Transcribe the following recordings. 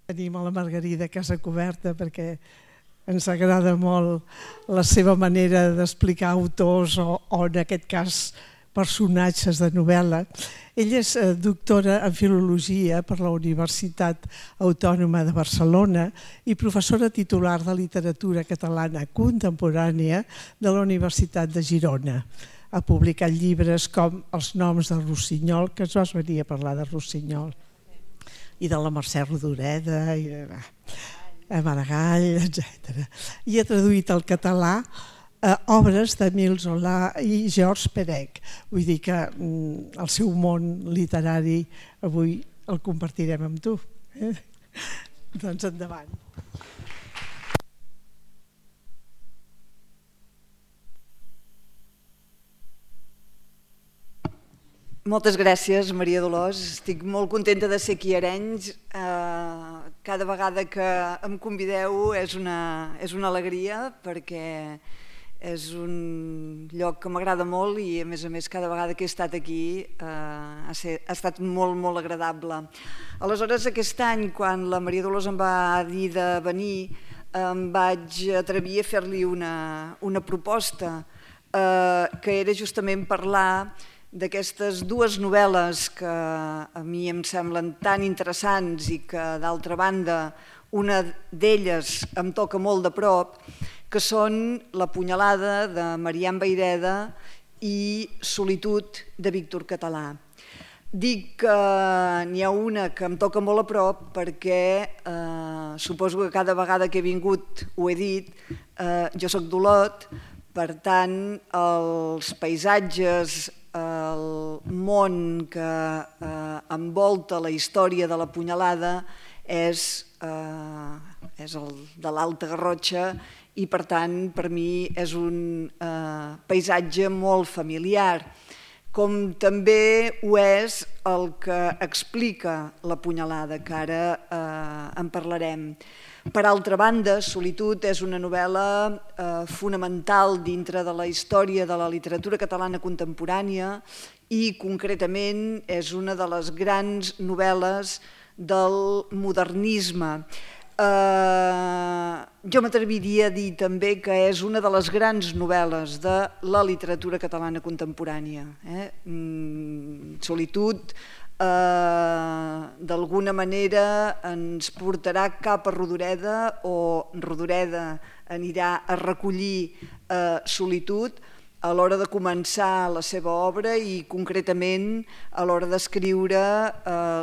Tenim a la Margarida Casacoberta perquè ens agrada molt la seva manera d'explicar autors o en aquest cas personatges de novel·la. Ella és doctora en Filologia per la Universitat Autònoma de Barcelona i professora titular de Literatura Catalana Contemporània de la Universitat de Girona. Ha publicat llibres com Els noms de Rossinyol, que ens vas venir a parlar de Rossinyol, i de la Mercè Rodoreda, i de Maragall, etc. I ha traduït al català obres d'Émile Zola i Georges Perec. Vull dir que el seu món literari avui el compartirem amb tu. Doncs endavant. Moltes gràcies, Maria Dolors. Estic molt contenta de ser aquí a Arenys. Cada vegada que em convideu és una alegria perquè és un lloc que m'agrada molt i a més cada vegada que he estat aquí ha estat molt, molt agradable. Aleshores, aquest any, quan la Maria Dolors em va dir de venir, em vaig atrevir a fer-li una proposta que era justament parlar d'aquestes dues novel·les que a mi em semblen tan interessants i que, d'altra banda, una d'elles em toca molt de prop, que són La punyalada de Marian Vayreda i Solitud de Víctor Català. Dic que n'hi ha una que em toca molt a prop perquè suposo que cada vegada que he vingut ho he dit, jo soc d'Olot, per tant els paisatges, el món que envolta la història de la punyalada és el de l'Alta Garrotxa i per tant per mi és un paisatge molt familiar, com també ho és el que explica la punyalada, que ara en parlarem. Per altra banda, Solitud és una novel·la fonamental dintre de la història de la literatura catalana contemporània i concretament és una de les grans novel·les del modernisme. Jo m'atreviria a dir també que és una de les grans novel·les de la literatura catalana contemporània. Solitud d'alguna manera ens portarà cap a Rodoreda o Rodoreda anirà a recollir Solitud a l'hora de començar la seva obra i concretament a l'hora d'escriure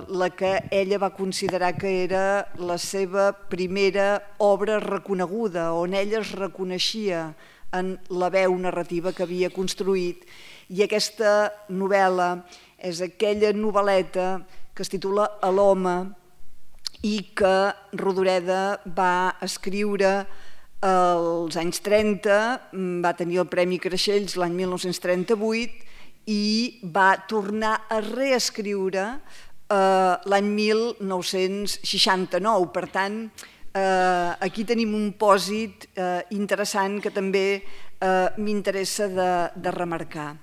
la que ella va considerar que era la seva primera obra reconeguda, on ella es reconeixia en la veu narrativa que havia construït, i aquesta novel·la és aquella novel·leta que es titula A l'home i que Rodoreda va escriure als anys 30, va tenir el Premi Creixells l'any 1938 i va tornar a reescriure l'any 1969. Per tant, aquí tenim un pòsit interessant que també m'interessa de remarcar.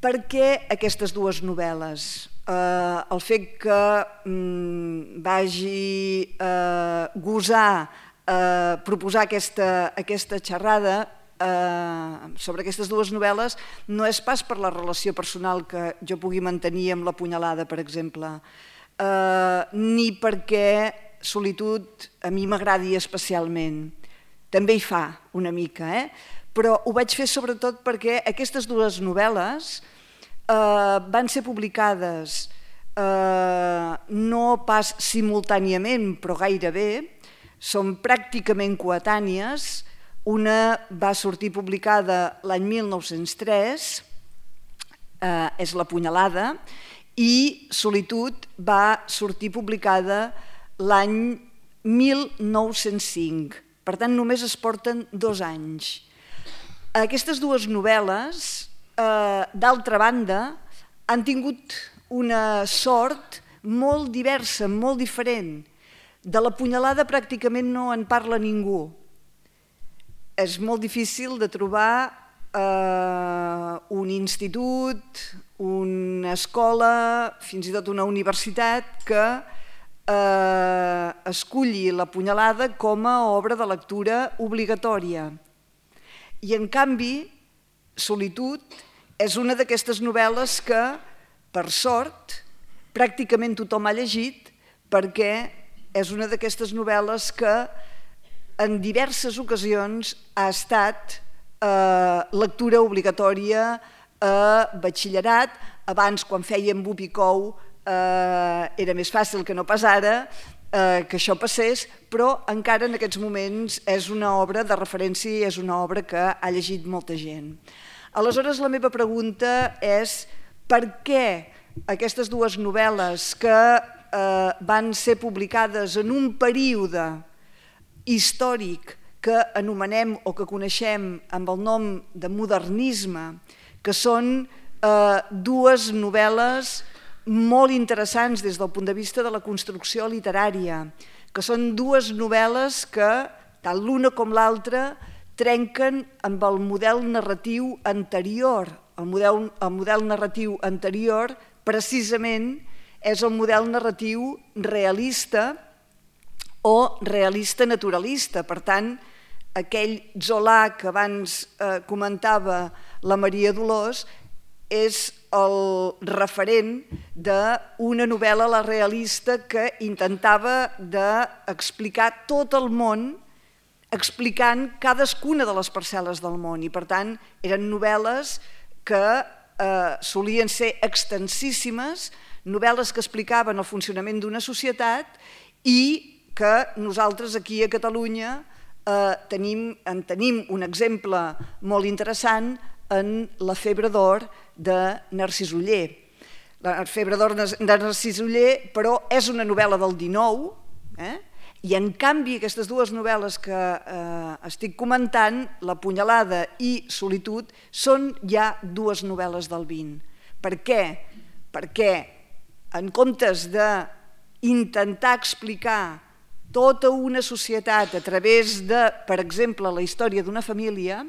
Per què aquestes dues novel·les? El fet que vagi gosar proposar aquesta xerrada sobre aquestes dues novel·les no és pas per la relació personal que jo pugui mantenir amb La punyalada, per exemple, ni perquè Solitud a mi m'agradi especialment. També hi fa una mica, però ho vaig fer sobretot perquè aquestes dues novel·les van ser publicades no pas simultàniament, però gairebé, són pràcticament coetànies. Una va sortir publicada l'any 1903, és La punyalada, i Solitud va sortir publicada l'any 1905. Per tant, només es porten 2 anys. Aquestes dues novel·les, d'altra banda, han tingut una sort molt diversa, molt diferent. De La punyalada pràcticament no en parla ningú. És molt difícil de trobar un institut, una escola, fins i tot una universitat que esculli La punyalada com a obra de lectura obligatòria. I, en canvi, Solitud és una d'aquestes novel·les que, per sort, pràcticament tothom ha llegit, perquè és una d'aquestes novel·les que en diverses ocasions ha estat lectura obligatòria a batxillerat. Abans, quan fèiem Bupicou, era més fàcil que no pas ara que això passés, però encara en aquests moments és una obra de referència i és una obra que ha llegit molta gent. Aleshores, la meva pregunta és per què aquestes dues novel·les que van ser publicades en un període històric que anomenem o que coneixem amb el nom de modernisme, que són dues novel·les molt interessants des del punt de vista de la construcció literària, que són dues novel·les que, tant l'una com l'altra, trenquen amb el model narratiu anterior. El model narratiu anterior, precisament, és el model narratiu realista o realista naturalista. Per tant, aquell Zola que abans comentava la Maria Dolors és el referent d'una novel·la, la realista, que intentava d'explicar tot el món, explicant cadascuna de les parcel·les del món. I, per tant, eren novel·les que solien ser extensíssimes, novel·les que explicaven el funcionament d'una societat i que nosaltres aquí a Catalunya en tenim un exemple molt interessant en La febre d'or de Narcís Oller. La febre d'or de Narcís Oller, però, és una novel·la del XIX, i en canvi aquestes dues novel·les que estic comentant, La punyalada i Solitud, són ja dues novel·les del XX. Per què? Perquè en comptes d'intentar explicar tota una societat a través de, per exemple, la història d'una família,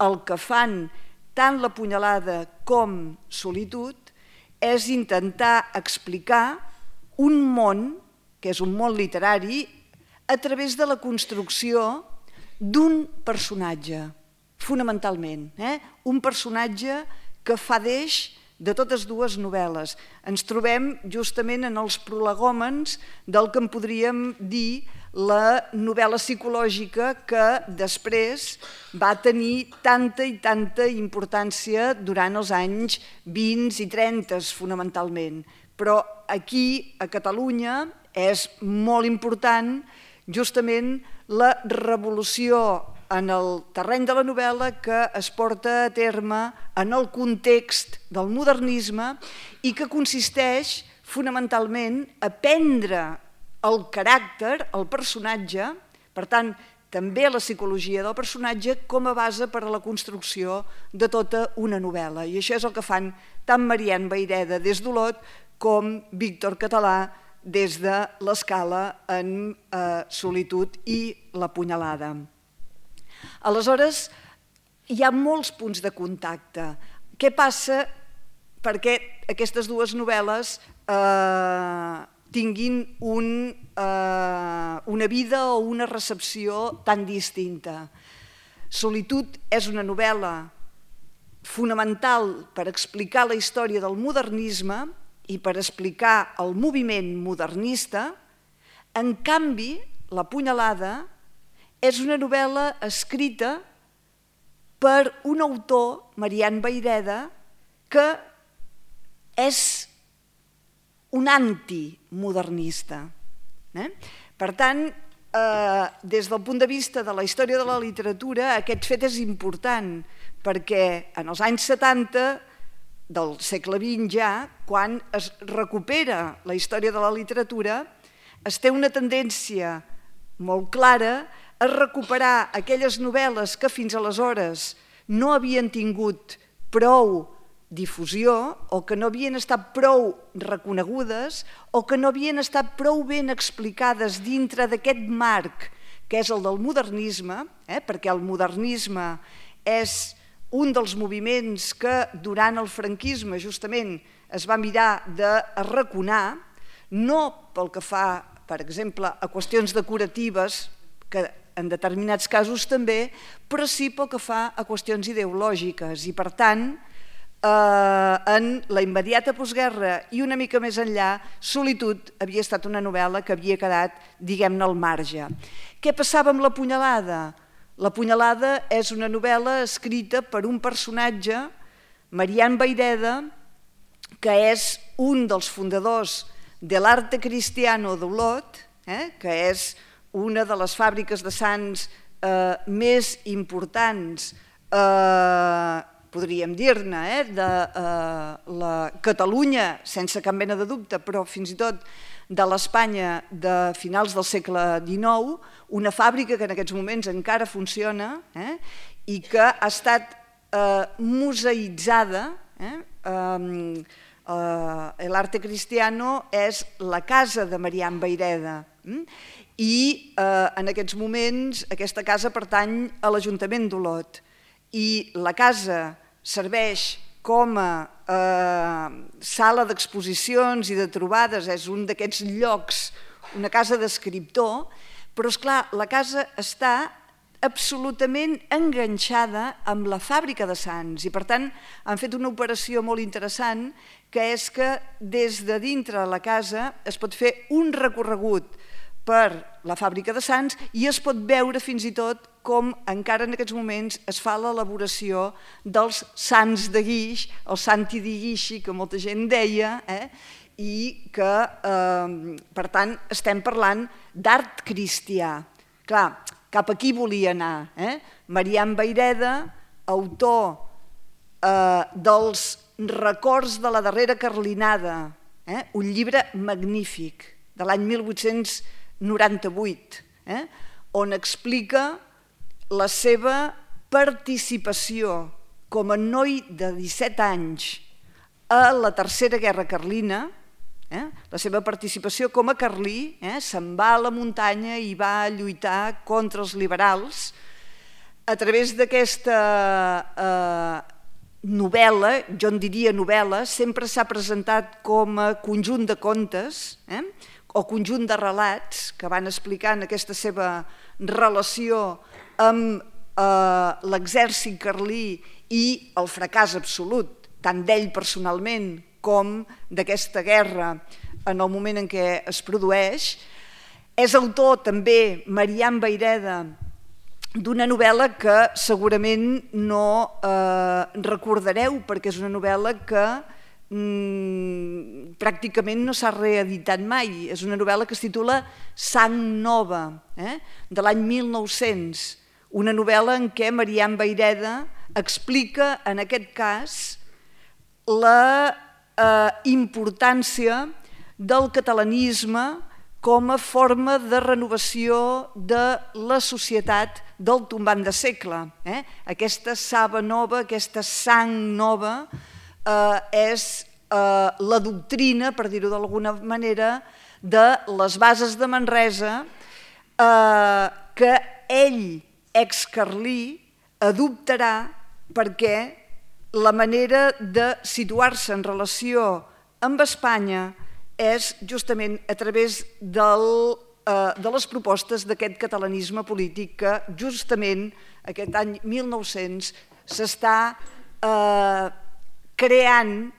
el que fan tant La punyalada com Solitud és intentar explicar un món, que és un món literari, a través de la construcció d'un personatge, fonamentalment. Un personatge que fa d'eix de totes dues novel·les. Ens trobem justament en els prolegòmens del que en podríem dir la novel·la psicològica que després va tenir tanta i tanta importància durant els anys 20 i 30, fonamentalment. Però aquí, a Catalunya, és molt important justament la revolució en el terreny de la novel·la que es porta a terme en el context del modernisme i que consisteix fonamentalment a prendre el caràcter, el personatge, per tant, també la psicologia del personatge com a base per a la construcció de tota una novel·la. I això és el que fan tant Marian Vayreda des d'Olot com Víctor Català des de l'Escala en Solitud i La punyalada. Aleshores, hi ha molts punts de contacte. Què passa perquè aquestes dues novel·les tinguin una vida o una recepció tan distinta? Solitud és una novel·la fonamental per explicar la història del modernisme i per explicar el moviment modernista. En canvi, La punyalada és una novel·la escrita per un autor, Marian Vayreda, que és un antimodernista. Per tant, des del punt de vista de la història de la literatura, aquest fet és important, perquè en els anys 70 del segle XX ja, quan es recupera la història de la literatura, es té una tendència molt clara a recuperar aquelles novel·les que fins aleshores no havien tingut prou difusió o que no havien estat prou reconegudes o que no havien estat prou ben explicades dintre d'aquest marc que és el del modernisme, perquè el modernisme és un dels moviments que durant el franquisme justament es va mirar d'arraconar, no pel que fa, per exemple, a qüestions decoratives, que en determinats casos també, però sí pel que fa a qüestions ideològiques. I, per tant, en la immediata postguerra i una mica més enllà, Solitud havia estat una novel·la que havia quedat, diguem-ne, al marge. Què passava amb La punyalada? La punyalada és una novel·la escrita per un personatge, Marián Vayreda, que és un dels fundadors de l'Arte Cristiano d'Olot, que és una de les fàbriques de sants més importants, podríem dir-ne, de la Catalunya, sense cap mena de dubte, però fins i tot de l'Espanya de finals del segle XIX, una fàbrica que en aquests moments encara funciona i que ha estat museïtzada. L'Arte Cristiano és la casa de Marián Vayreda i en aquests moments aquesta casa pertany a l'Ajuntament d'Olot i la casa serveix com a sala d'exposicions i de trobades, és un d'aquests llocs, una casa d'escriptor, però esclar, la casa està absolutament enganxada amb la fàbrica de Sants i per tant han fet una operació molt interessant que és que des de dintre la casa es pot fer un recorregut per la fàbrica de Sants i es pot veure fins i tot com encara en aquests moments es fa l'elaboració dels sants de guix, el santi di guixi que molta gent deia, i que per tant estem parlant d'art cristià. Clar, cap aquí volia anar. Marián Vayreda, autor dels Records de la darrera carlinada, un llibre magnífic de l'any 1898, on explica la seva participació com a noi de 17 anys a la Tercera Guerra Carlina, la seva participació com a carlí, se'n va a la muntanya i va lluitar contra els liberals. A través d'aquesta novel·la, jo en diria novel·la, sempre s'ha presentat com a conjunt de contes o conjunt de relats que van explicant aquesta seva relació amb l'exèrcit carlí i el fracàs absolut, tant d'ell personalment com d'aquesta guerra en el moment en què es produeix. És autor també, Marián Vayreda, d'una novel·la que segurament no recordareu perquè és una novel·la que pràcticament no s'ha reeditat mai. És una novel·la que es titula Sang Nova, de l'any 1900, una novel·la en què Marián Vayreda explica en aquest cas la importància del catalanisme com a forma de renovació de la societat del tombant de segle. Aquesta saba nova, aquesta sang nova, és la doctrina, per dir-ho d'alguna manera, de les bases de Manresa que ell, excarlí, adoptarà perquè la manera de situar-se en relació amb Espanya és justament a través de les propostes d'aquest catalanisme polític que justament aquest any 1900 s'està creant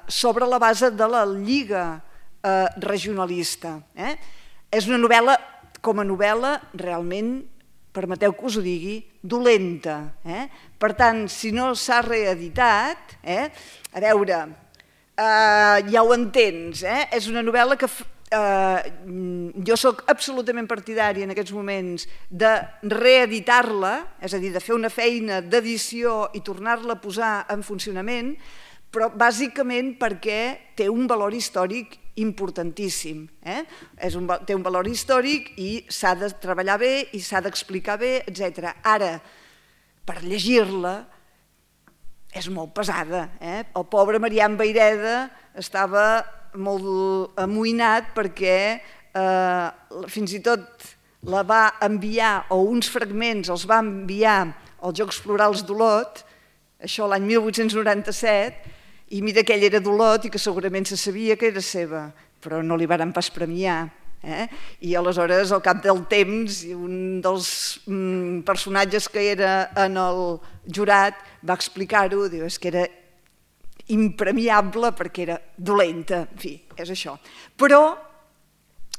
sobre la base de la Lliga Regionalista. És una novel·la, com a novel·la, realment, permeteu que us ho digui, dolenta. Per tant, si no s'ha reeditat, a veure, ja ho entens, és una novel·la que jo soc absolutament partidària en aquests moments de reeditar-la, és a dir, de fer una feina d'edició i tornar-la a posar en funcionament, però bàsicament perquè té un valor històric importantíssim. Té un valor històric i s'ha de treballar bé i s'ha d'explicar bé, etc. Ara, per llegir-la, és molt pesada. El pobre Marián Vayreda estava molt amoïnat perquè fins i tot la va enviar, o uns fragments els va enviar als Jocs Florals d'Olot, això l'any 1897, i mira que ell era d'Olot i que segurament se sabia que era seva. però no li varen pas premiar. I aleshores, al cap del temps, un dels personatges que era en el jurat va explicar-ho, diu, és que era impremiable perquè era dolenta, en fi, és això. Però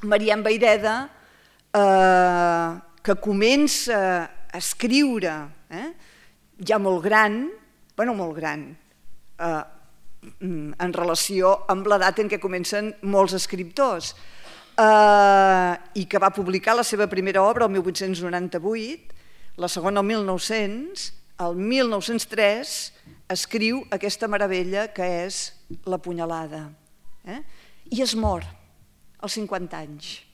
Marian Vayreda, que comença a escriure ja molt gran, en relació amb l'edat en què comencen molts escriptors, i que va publicar la seva primera obra el 1898, la segona el 1900, el 1903 escriu aquesta meravella que és La punyalada. I es mor als 50 anys,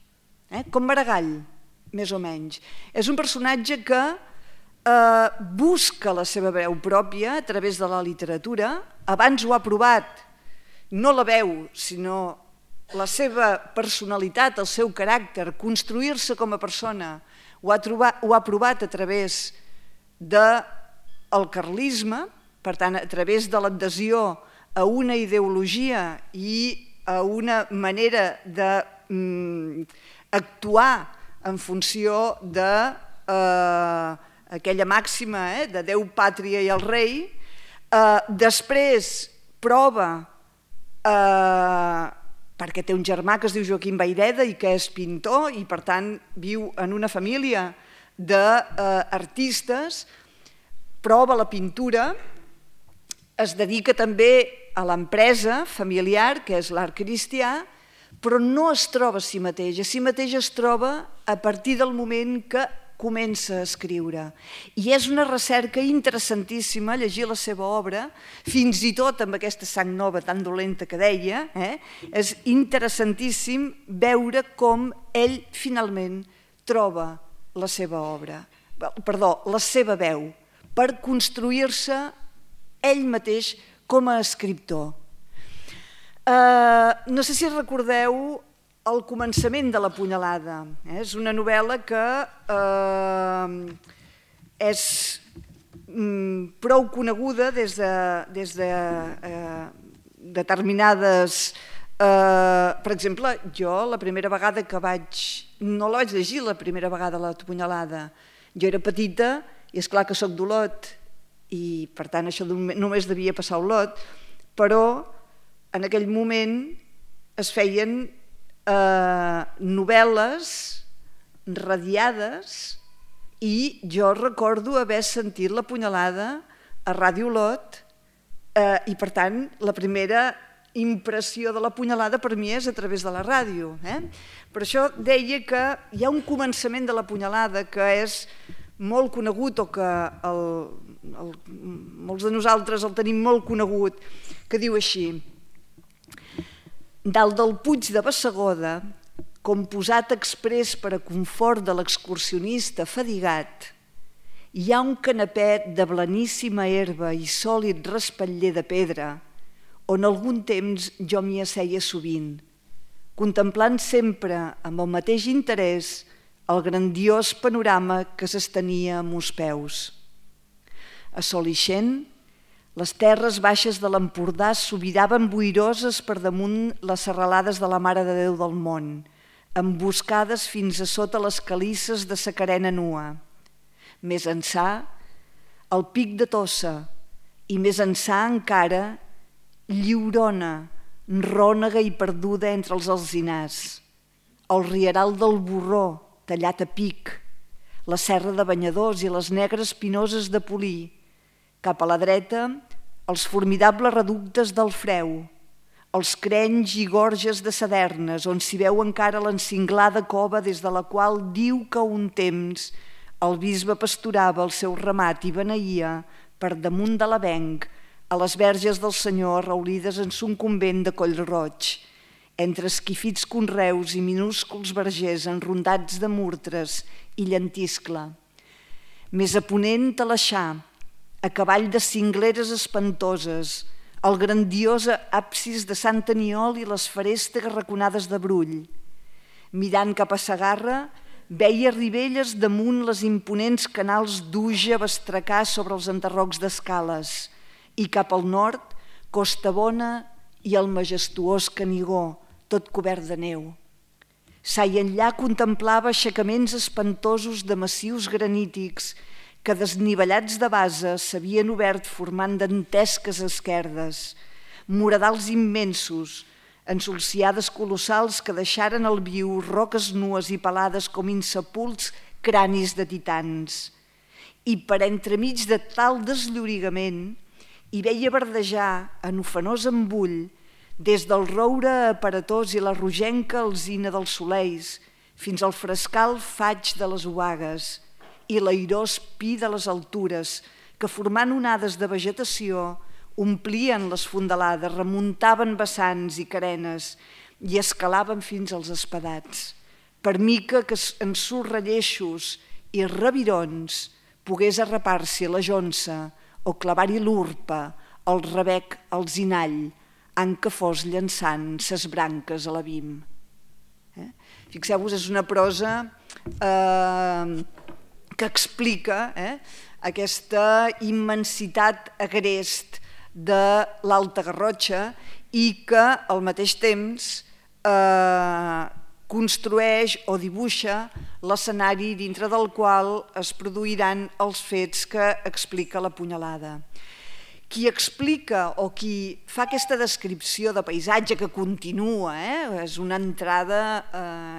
com Maragall, més o menys. És un personatge que busca la seva veu pròpia a través de la literatura. Abans ho ha provat, no la veu, sinó la seva personalitat, el seu caràcter, construir-se com a persona, ho ha provat a través del carlisme, per tant, a través de l'adhesió a una ideologia i a una manera d'actuar en funció d'aquella màxima de Déu, pàtria i el rei. Després prova, perquè té un germà que es diu Joaquim Vayreda i que és pintor i per tant viu en una família d'artistes, prova la pintura, es dedica també a l'empresa familiar, que és l'art cristià, però no es troba a si mateix. A si mateix es troba a partir del moment que comença a escriure. I és una recerca interessantíssima llegir la seva obra, fins i tot amb aquesta sang nova tan dolenta que deia, és interessantíssim veure com ell finalment troba la seva obra, la seva veu, per construir-se ell mateix com a escriptor. No sé si recordeu el començament de La punyalada. És una novel·la que és prou coneguda des de determinades... Per exemple, jo la primera vegada que no la vaig llegir la primera vegada, La punyalada. Jo era petita i esclar que soc d'Olot i per tant això només devia passar a Olot, però en aquell moment es feien novel·les radiades i jo recordo haver sentit La punyalada a Ràdio Olot i per tant la primera impressió de La punyalada per mi és a través de la ràdio. Per això deia que hi ha un començament de La punyalada que és molt conegut o que molts de nosaltres el tenim molt conegut, que diu així: dalt del Puig de Bassegoda, com posat exprés per a confort de l'excursionista fadigat, hi ha un canapet de blaníssima herba i sòlid respatller de pedra, on algun temps jo m'hi asseia sovint, contemplant sempre amb el mateix interès el grandiós panorama que s'estenia a meus peus. A sol ixent, les terres baixes de l'Empordà s'obiraven boiroses per damunt les serralades de la Mare de Déu del Món, emboscades fins a sota les calisses de sa carena nua. Més ençà, el pic de Tossa, i més ençà encara, Lliurona, rònega i perduda entre els alzinars, el rieral del Borró, tallat a pic, la serra de Banyadors i les negres pinoses de Polí, cap a la dreta, els formidables reductes del Freu, els crenys i gorges de Sadernes, on s'hi veu encara l'encinglada cova des de la qual diu que un temps el bisbe pasturava el seu ramat i beneïa per damunt de l'avenc a les verges del Senyor arraulides en son convent de Collroig, entre esquifits conreus i minúsculs vergers enrondats de murtres i llentiscle. Més a ponent Talaixà, a cavall de cingleres espantoses, el grandiós absis de Sant Aniol i les ferestes raconades de Brull. Mirant cap a Segarra, veia Ribelles damunt les imponents canals d'Uja bastracar sobre els enderrocs d'Escales i cap al nord, Costabona i el majestuós Canigó, tot cobert de neu. Sa i enllà contemplava aixecaments espantosos de massius granítics que, desnivellats de base, s'havien obert formant dantesques esquerdes, muradals immensos, ensolciades colossals que deixaren al viu roques nues i pelades com insepults cranis de titans. I per entremig de tal desllorigament hi veia verdejar en ofenós embull des del roure aparatós i la rogenca alzina dels soleis fins al frescal faig de les obagues i l'airós pi de les altures que, formant onades de vegetació, omplien les fondalades, remuntaven vessants i carenes i escalaven fins als espadats, per mica que en sus relleixos i revirons pogués arrapar-s'hi la jonça o clavar-hi l'urpa, el rebec, el zinall, en què fos llançant ses branques a l'abim. Fixeu-vos, és una prosa que explica aquesta immensitat agrest de l'Alta Garrotxa i que al mateix temps construeix o dibuixa l'escenari dintre del qual es produiran els fets que explica la punyalada. Qui explica o qui fa aquesta descripció de paisatge que continua, és una entrada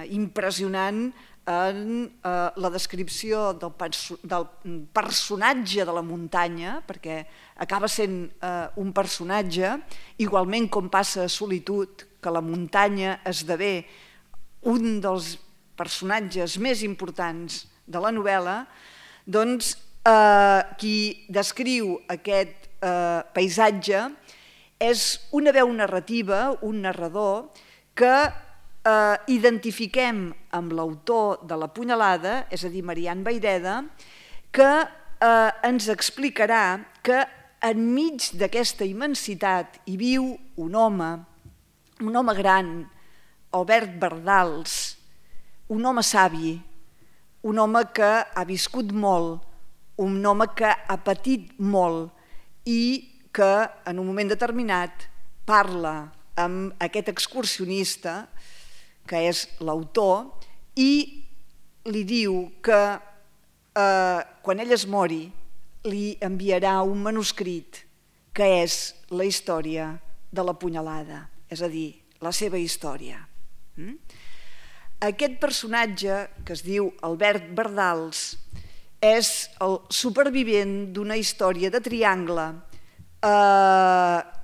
impressionant en la descripció del personatge de la muntanya, perquè acaba sent un personatge, igualment com passa a Solitud, que la muntanya esdevé un dels personatges més importants de la novel·la, doncs qui descriu aquest paisatge és una veu narrativa, un narrador, que identifiquem amb l'autor de la punyalada, és a dir, Marian Vayreda, que ens explicarà que enmig d'aquesta immensitat hi viu un home gran, Albert Bardals, un home savi, un home que ha viscut molt, un home que ha patit molt i que en un moment determinat parla amb aquest excursionista, que és l'autor, i li diu que quan ell es mori li enviarà un manuscrit que és la història de la punyalada, és a dir, la seva història. Aquest personatge, que es diu Albert Bardals, és el supervivent d'una història de triangle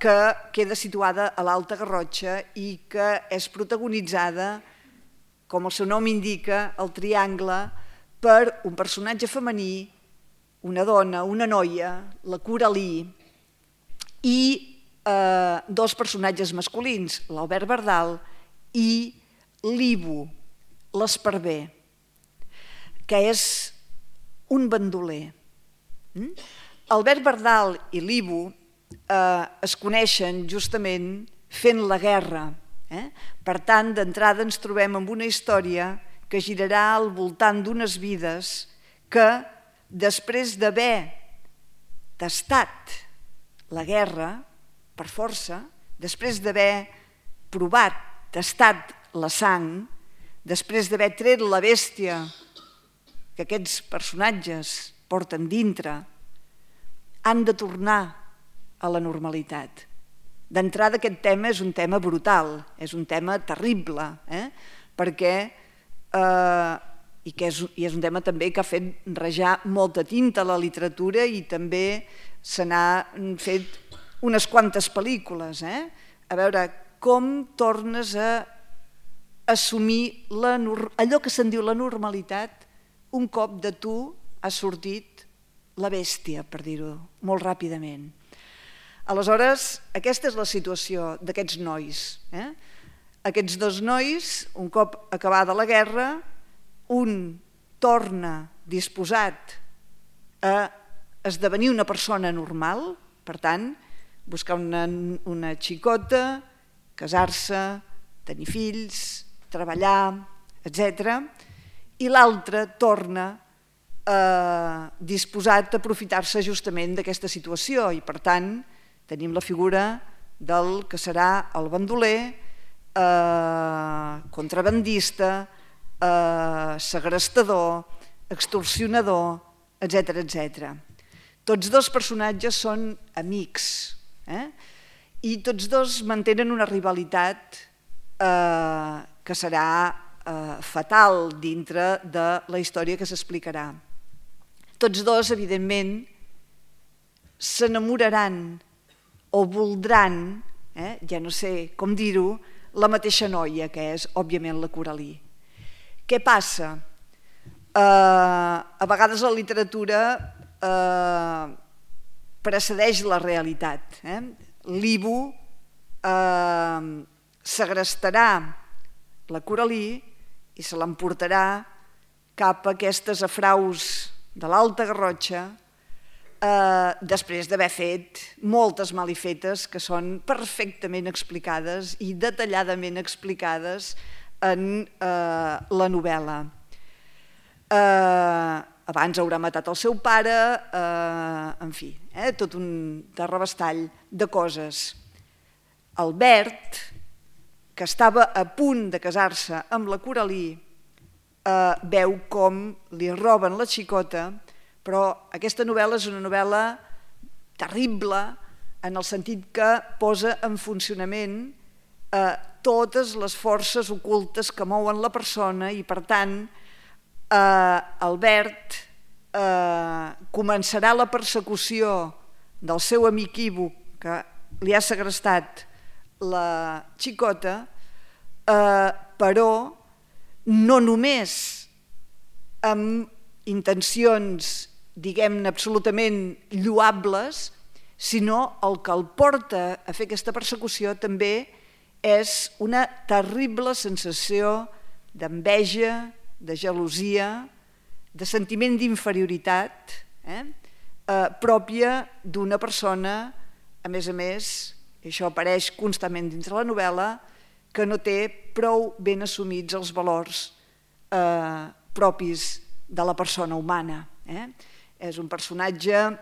que queda situada a l'Alta Garrotxa i que és protagonitzada, com el seu nom indica, el triangle, per un personatge femení, una dona, una noia, la Coralí, i dos personatges masculins, l'Albert Bardal i l'Ibo, l'esparver, que és un bandoler. Albert Bardal i l'Ibo es coneixen justament fent la guerra. Per tant, d'entrada ens trobem amb una història que girarà al voltant d'unes vides que, després d'haver tastat la guerra per força, després d'haver provat, tastat la sang, després d'haver tret la bèstia que aquests personatges porten dintre, han de tornar a la normalitat. D'entrada, aquest tema és un tema brutal, és un tema terrible, perquè és un tema també que ha fet rajar molta tinta a la literatura i també se n'han fet unes quantes pel·lícules. A veure, com tornes a assumir allò que se'n diu la normalitat un cop de tu ha sortit la bèstia, per dir-ho molt ràpidament. Aleshores, aquesta és la situació d'aquests nois. Aquests dos nois, un cop acabada la guerra, un torna disposat a esdevenir una persona normal, per tant, buscar una xicota, casar-se, tenir fills, treballar, etc. I l'altre torna disposat a aprofitar-se justament d'aquesta situació i, per tant, tenim la figura del que serà el bandoler contrabandista, segrestador, extorsionador, etc. Tots dos personatges són amics, i tots dos mantenen una rivalitat que serà fatal dintre de la història que s'explicarà. Tots dos, evidentment, s'enamoraran o voldran, ja no sé com dir-ho, la mateixa noia, que és, òbviament, la Coralí. Què passa? A vegades la literatura precedeix la realitat. L'Ivo segrestarà la Coralí i se l'emportarà cap a aquestes afraus de l'Alta Garrotxa després d'haver fet moltes malifetes que són perfectament explicades i detalladament explicades en la novel·la. Abans haurà matat el seu pare, en fi, tot un terrabastall de coses. Albert, que estava a punt de casar-se amb la Coralí, veu com li roben la xicota, però aquesta novel·la és una novel·la terrible en el sentit que posa en funcionament totes les forces ocultes que mouen la persona i, per tant, Albert començarà la persecució del seu amic Ivo, que li ha segrestat la xicota, però no només amb intencions, diguem-ne, absolutament lloables, sinó el que el porta a fer aquesta persecució també és una terrible sensació d'enveja, de gelosia, de sentiment d'inferioritat pròpia d'una persona, a més, i això apareix constantment dins la novel·la, que no té prou ben assumits els valors propis de la persona humana. És un personatge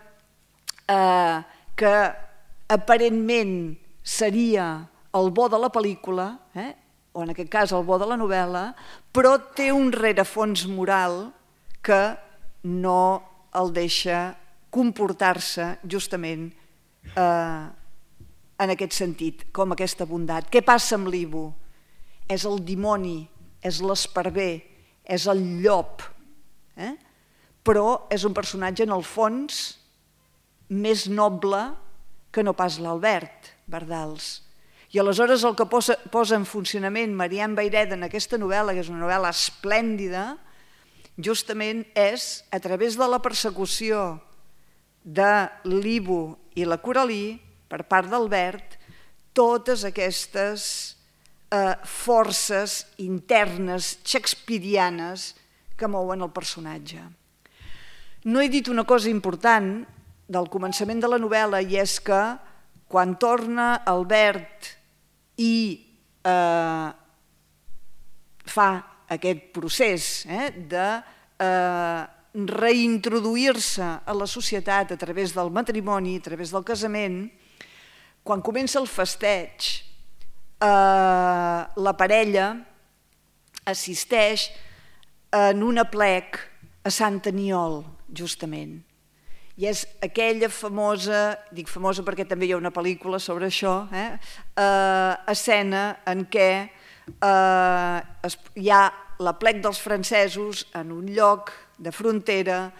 que aparentment seria el bo de la pel·lícula, o en aquest cas el bo de la novel·la, però té un rerefons moral que no el deixa comportar-se justament en aquest sentit, com aquesta bondat. Què passa amb l'Ivo? És el dimoni, és l'esparver, és el llop, però és un personatge en el fons més noble que no pas l'Albert Bardals. I aleshores el que posa en funcionament Marian Vayreda en aquesta novel·la, que és una novel·la esplèndida, justament és, a través de la persecució de l'Ivo i la Coralí, per part d'Albert, totes aquestes forces internes shakespearianes que mouen el personatge. No he dit una cosa important del començament de la novel·la, i és que quan torna Albert i fa aquest procés de reintroduir-se a la societat a través del matrimoni, a través del casament, quan comença el festeig, la parella assisteix en un aplec a Sant Aniol, justament. I és aquella famosa, dic famosa perquè també hi ha una pel·lícula sobre això, escena en què hi ha l'aplec dels francesos en un lloc de frontera,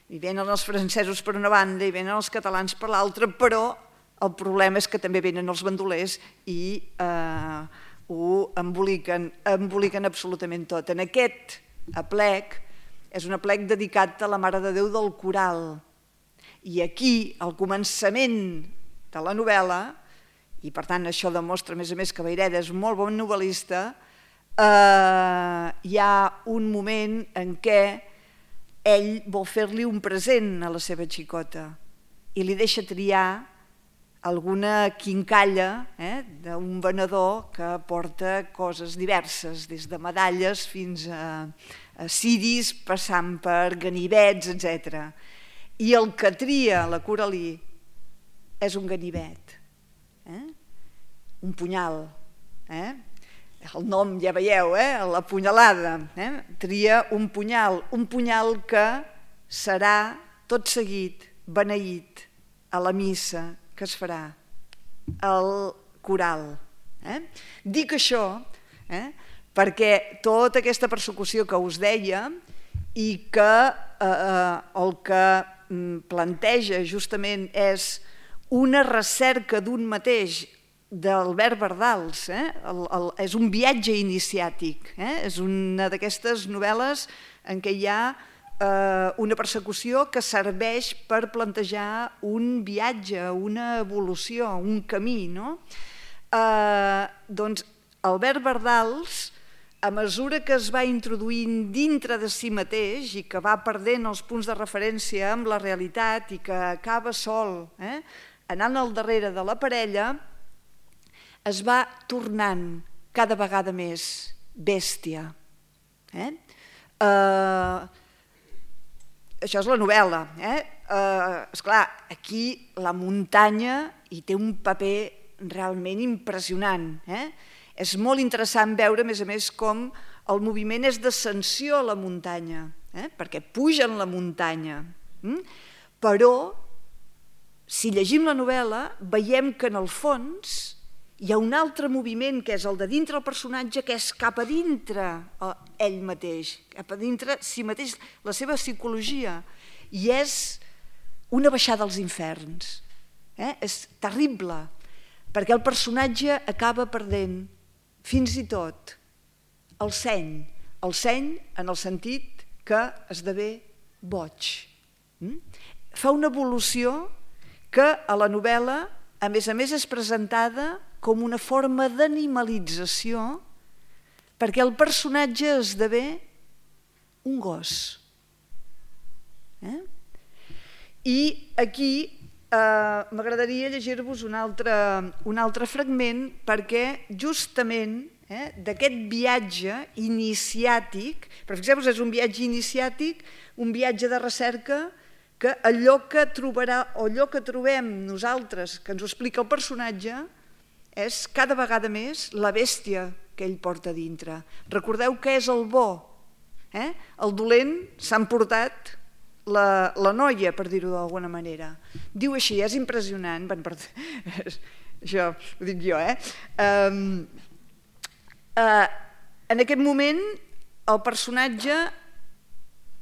i venen els francesos per una banda i venen els catalans per l'altra, però el problema és que també venen els bandolers i ho emboliquen absolutament tot. En aquest aplec és un aplec dedicat a la Mare de Déu del Coral. I aquí, al començament de la novel·la, i per tant això demostra a més que Vayreda és molt bon novel·lista, hi ha un moment en què ell vol fer-li un present a la seva xicota i li deixa triar alguna quincalla d'un venedor que porta coses diverses, des de medalles fins a ciris, passant per ganivets, etc. I el que tria la Coralí és un ganivet, un punyal. el nom ja veieu, la punyalada, tria un punyal que serà tot seguit beneït a la missa que es farà al coral. Dic això perquè tota aquesta persecució que us deia i que el que planteja justament és una recerca d'un mateix, d'Albert Bardals, és un viatge iniciàtic, és una d'aquestes novel·les en què hi ha una persecució que serveix per plantejar un viatge, una evolució, un camí. Doncs Albert Bardals, a mesura que es va introduint dintre de si mateix i que va perdent els punts de referència amb la realitat i que acaba sol, anant al darrere de la parella, es va tornant cada vegada més bèstia. Això és la novel·la. Esclar, aquí la muntanya hi té un paper realment impressionant. És molt interessant veure, a més, com el moviment és d'ascensió a la muntanya, perquè pugen la muntanya. Però, si llegim la novel·la, veiem que en el fons hi ha un altre moviment, que és el de dintre el personatge, que és cap a dintre ell mateix, cap a dintre si mateix, la seva psicologia, i és una baixada als inferns. És terrible, perquè el personatge acaba perdent fins i tot el seny en el sentit que esdevé boig. Fa una evolució que a la novel·la, a més, és presentada com una forma d'animalització perquè el personatge esdevé un gos. I aquí m'agradaria llegir-vos un altre fragment perquè justament d'aquest viatge iniciàtic, però fixeu-vos, és un viatge iniciàtic, un viatge de recerca que allò que trobem nosaltres, que ens ho explica el personatge, és cada vegada més la bèstia que ell porta dintre. Recordeu que és el bo. El dolent s'ha emportat la noia, per dir-ho d'alguna manera. Diu així, és impressionant. Això ho dic jo. En aquest moment, el personatge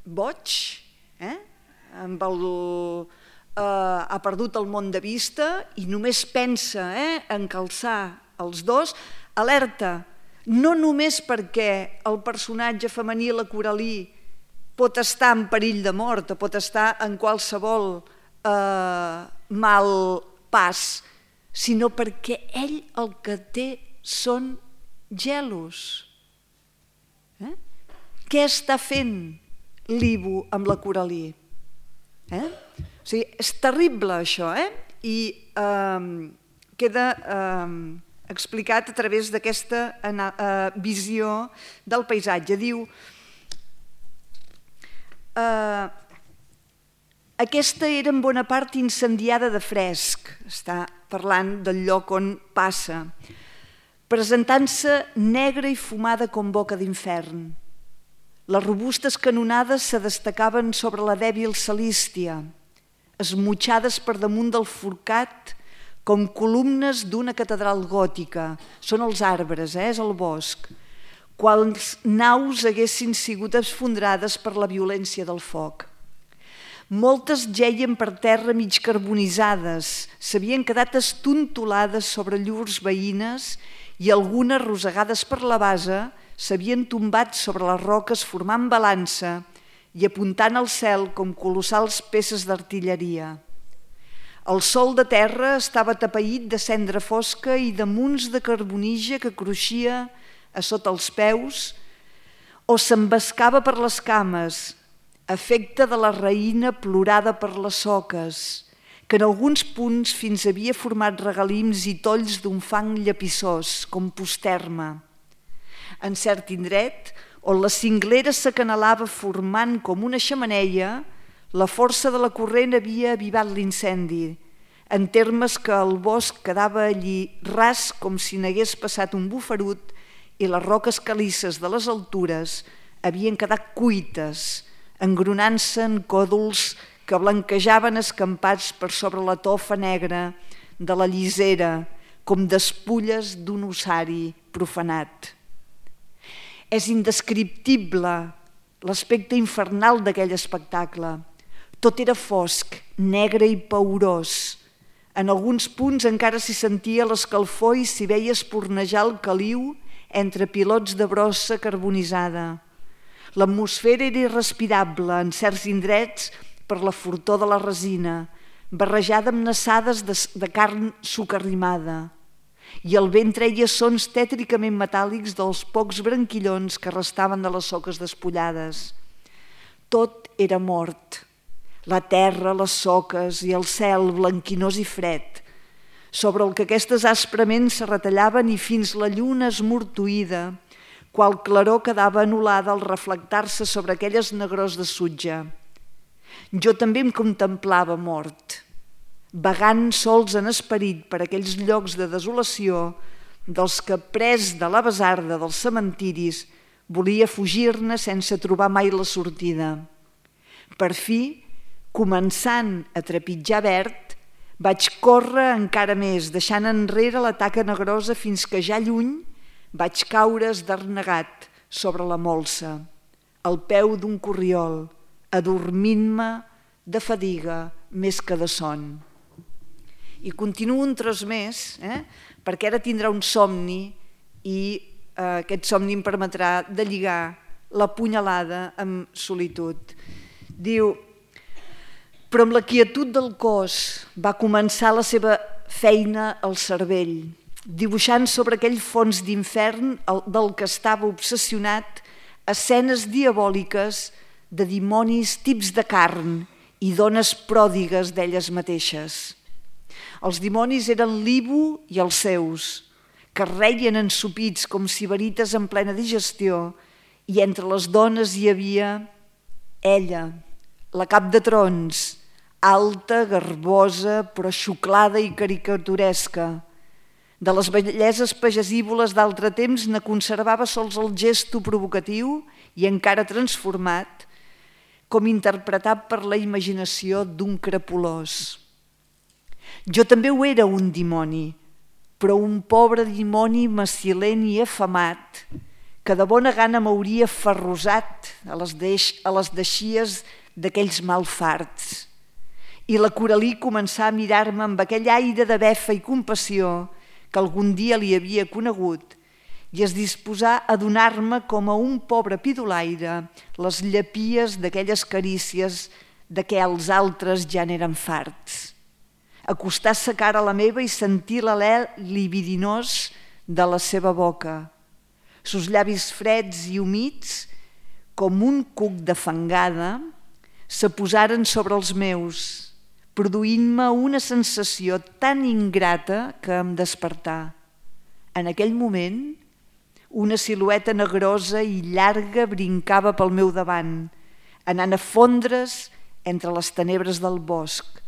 boig, amb el... ha perdut el món de vista i només pensa en calçar els dos, alerta, no només perquè el personatge femení, la Coralí, pot estar en perill de mort o pot estar en qualsevol mal pas, sinó perquè ell el que té són gelos. Què està fent l'Ivo amb la Coralí? O sigui, és terrible això, i queda explicat a través d'aquesta visió del paisatge. Diu, aquesta era en bona part incendiada de fresc, està parlant del lloc on passa, presentant-se negra i fumada com boca d'infern. Les robustes canonades se destacaven sobre la dèbil salístia, esmutxades per damunt del forcat com columnes d'una catedral gòtica. Són els arbres, és el bosc. Quals naus haguessin sigut esfondrades per la violència del foc. Moltes geien per terra mig carbonitzades, s'havien quedat estontolades sobre llurs veïnes i algunes, rosegades per la base, s'havien tombat sobre les roques formant balança i apuntant al cel com colossals peces d'artilleria. El sol de terra estava atapeït de cendra fosca i de munts de carbonija que cruixia a sota els peus o s'embascava per les cames, efecte de la raïna plorada per les soques, que en alguns punts fins havia format regalims i tolls d'un fang llepissós, com posterma. En cert indret, on la cinglera s'acanalava formant com una xemeneia, la força de la corrent havia avivat l'incendi, en termes que el bosc quedava allí ras com si n'hagués passat un bufarut i les roques calisses de les altures havien quedat cuites, engronant-se en còdols que blanquejaven escampats per sobre la tofa negra de la llisera, com despulles d'un ossari profanat. És indescriptible l'aspecte infernal d'aquell espectacle. Tot era fosc, negre i paorós. En alguns punts encara s'hi sentia l'escalfor i s'hi veia espornejar el caliu entre pilots de brossa carbonitzada. L'atmosfera era irrespirable en certs indrets per la fortor de la resina, barrejada amb nassades de carn sucarrimada, i el vent treia sons tètricament metàl·lics dels pocs branquillons que restaven de les soques despullades. Tot era mort. La terra, les soques i el cel blanquinós i fred, sobre el que aquestes asprament se retallaven i fins la lluna esmortuïda, qual claror quedava anul·lada al reflectar-se sobre aquelles negrors de sutge. Jo també em contemplava mort, vagant sols en esperit per aquells llocs de desolació dels que, pres de la basarda dels cementiris, volia fugir-ne sense trobar mai la sortida. Per fi, començant a trepitjar verd, vaig córrer encara més, deixant enrere la taca negrosa fins que ja lluny vaig caure esdernegat sobre la molsa, al peu d'un corriol, adormint-me de fadiga més que de son. I continuo un tros més, perquè ara tindrà un somni i aquest somni em permetrà de lligar la punyalada amb solitud. Diu: però amb la quietud del cos va començar la seva feina al cervell, dibuixant sobre aquell fons d'infern del que estava obsessionat escenes diabòliques de dimonis tips de carn i dones pròdigues d'elles mateixes. Els dimonis eren l'Ibu i els seus, que reien ensopits com sibarites en plena digestió, i entre les dones hi havia ella, la cap de trons, alta, garbosa, però xuclada i caricaturesca. De les belleses pagesívoles d'altre temps ne conservava sols el gesto provocatiu i encara transformat, com interpretat per la imaginació d'un crepulós. Jo també ho era un dimoni, però un pobre dimoni macilent i afamat, que de bona gana m'hauria ferrosat a les deixies d'aquells malfarts. I la Coralí començà a mirar-me amb aquell aire de befa i compassió que algun dia li havia conegut i es disposà a donar-me com a un pobre pidolaire les llapies d'aquelles carícies de què els altres ja n'eren farts. Acostar sa cara a la meva i sentir l'alè libidinós de la seva boca. Sus llavis freds i humits, com un cuc de fangada, se posaren sobre els meus, produint-me una sensació tan ingrata que em despertà. En aquell moment, una silueta negrosa i llarga brincava pel meu davant, anant a fondre's entre les tenebres del bosc,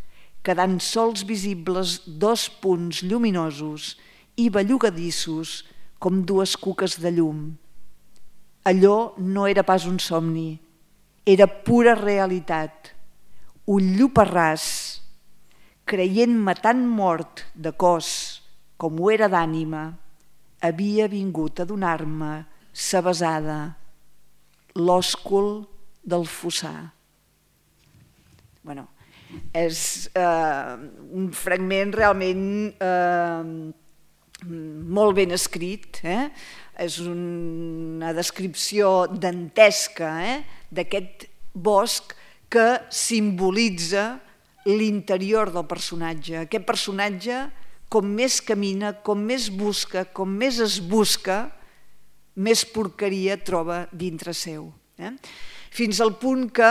quedant sols visibles 2 punts lluminosos i bellugadissos com 2 cuques de llum. Allò no era pas un somni, era pura realitat. Un lluparràs, creient-me tan mort de cos com ho era d'ànima, havia vingut a donar-me sa besada, l'òscul del fossar. Bueno, és un fragment realment molt ben escrit, és una descripció dantesca d'aquest bosc que simbolitza l'interior del personatge. Aquest personatge, com més camina, com més busca, com més es busca, més porqueria troba dintre seu. Fins al punt que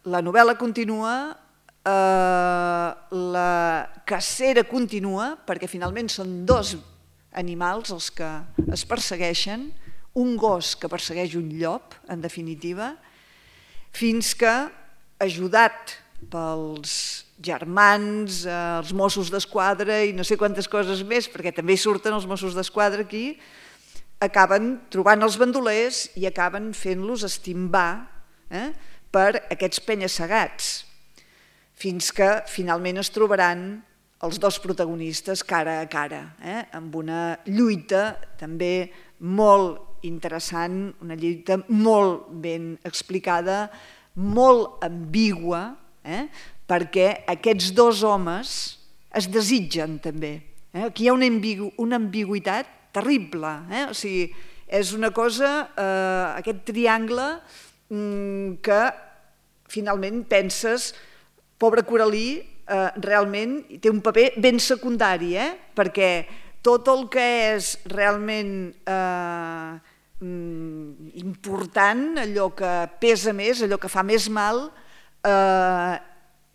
la novel·la continua, la cacera continua, perquè finalment són 2 animals els que es persegueixen, un gos que persegueix un llop, en definitiva, fins que, ajudat pels germans, els Mossos d'Esquadra i no sé quantes coses més, perquè també hi surten els Mossos d'Esquadra aquí, acaben trobant els bandolers i acaben fent-los estimbar per aquests penya-segats, fins que finalment es trobaran els dos protagonistes cara a cara, amb una lluita també molt interessant, una lluita molt ben explicada, molt ambigua, perquè aquests dos homes es desitgen també. Aquí hi ha una ambigüitat terrible, o sigui, és una cosa, aquest triangle que finalment penses, pobre Coralí, realment té un paper ben secundari, perquè tot el que és realment important, allò que pesa més, allò que fa més mal,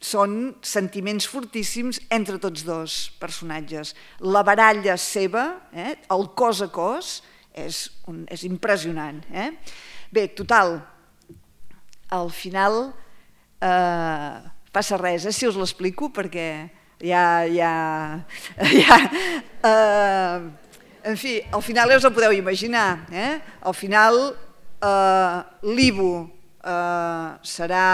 són sentiments fortíssims entre tots dos personatges. La baralla seva, el cos a cos, és impressionant. Bé, total, al final passa res, si us l'explico, perquè en fi, al final ja us ho podeu imaginar. Al final l'Ivo serà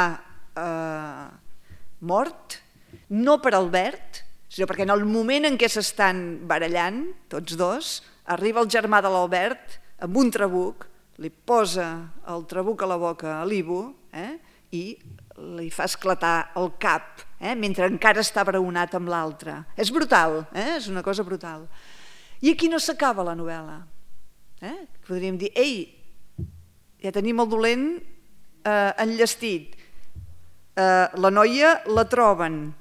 mort, no per Albert, sinó perquè en el moment en què s'estan barallant, tots dos, arriba el germà de l'Albert amb un trabuc, li posa el trabuc a la boca a l'Ivo i li fa esclatar el cap, mentre encara està braonat amb l'altre. És brutal, és una cosa brutal. I aquí no s'acaba la novel·la. Podríem dir, ei, ja tenim el dolent enllestit. La noia la troben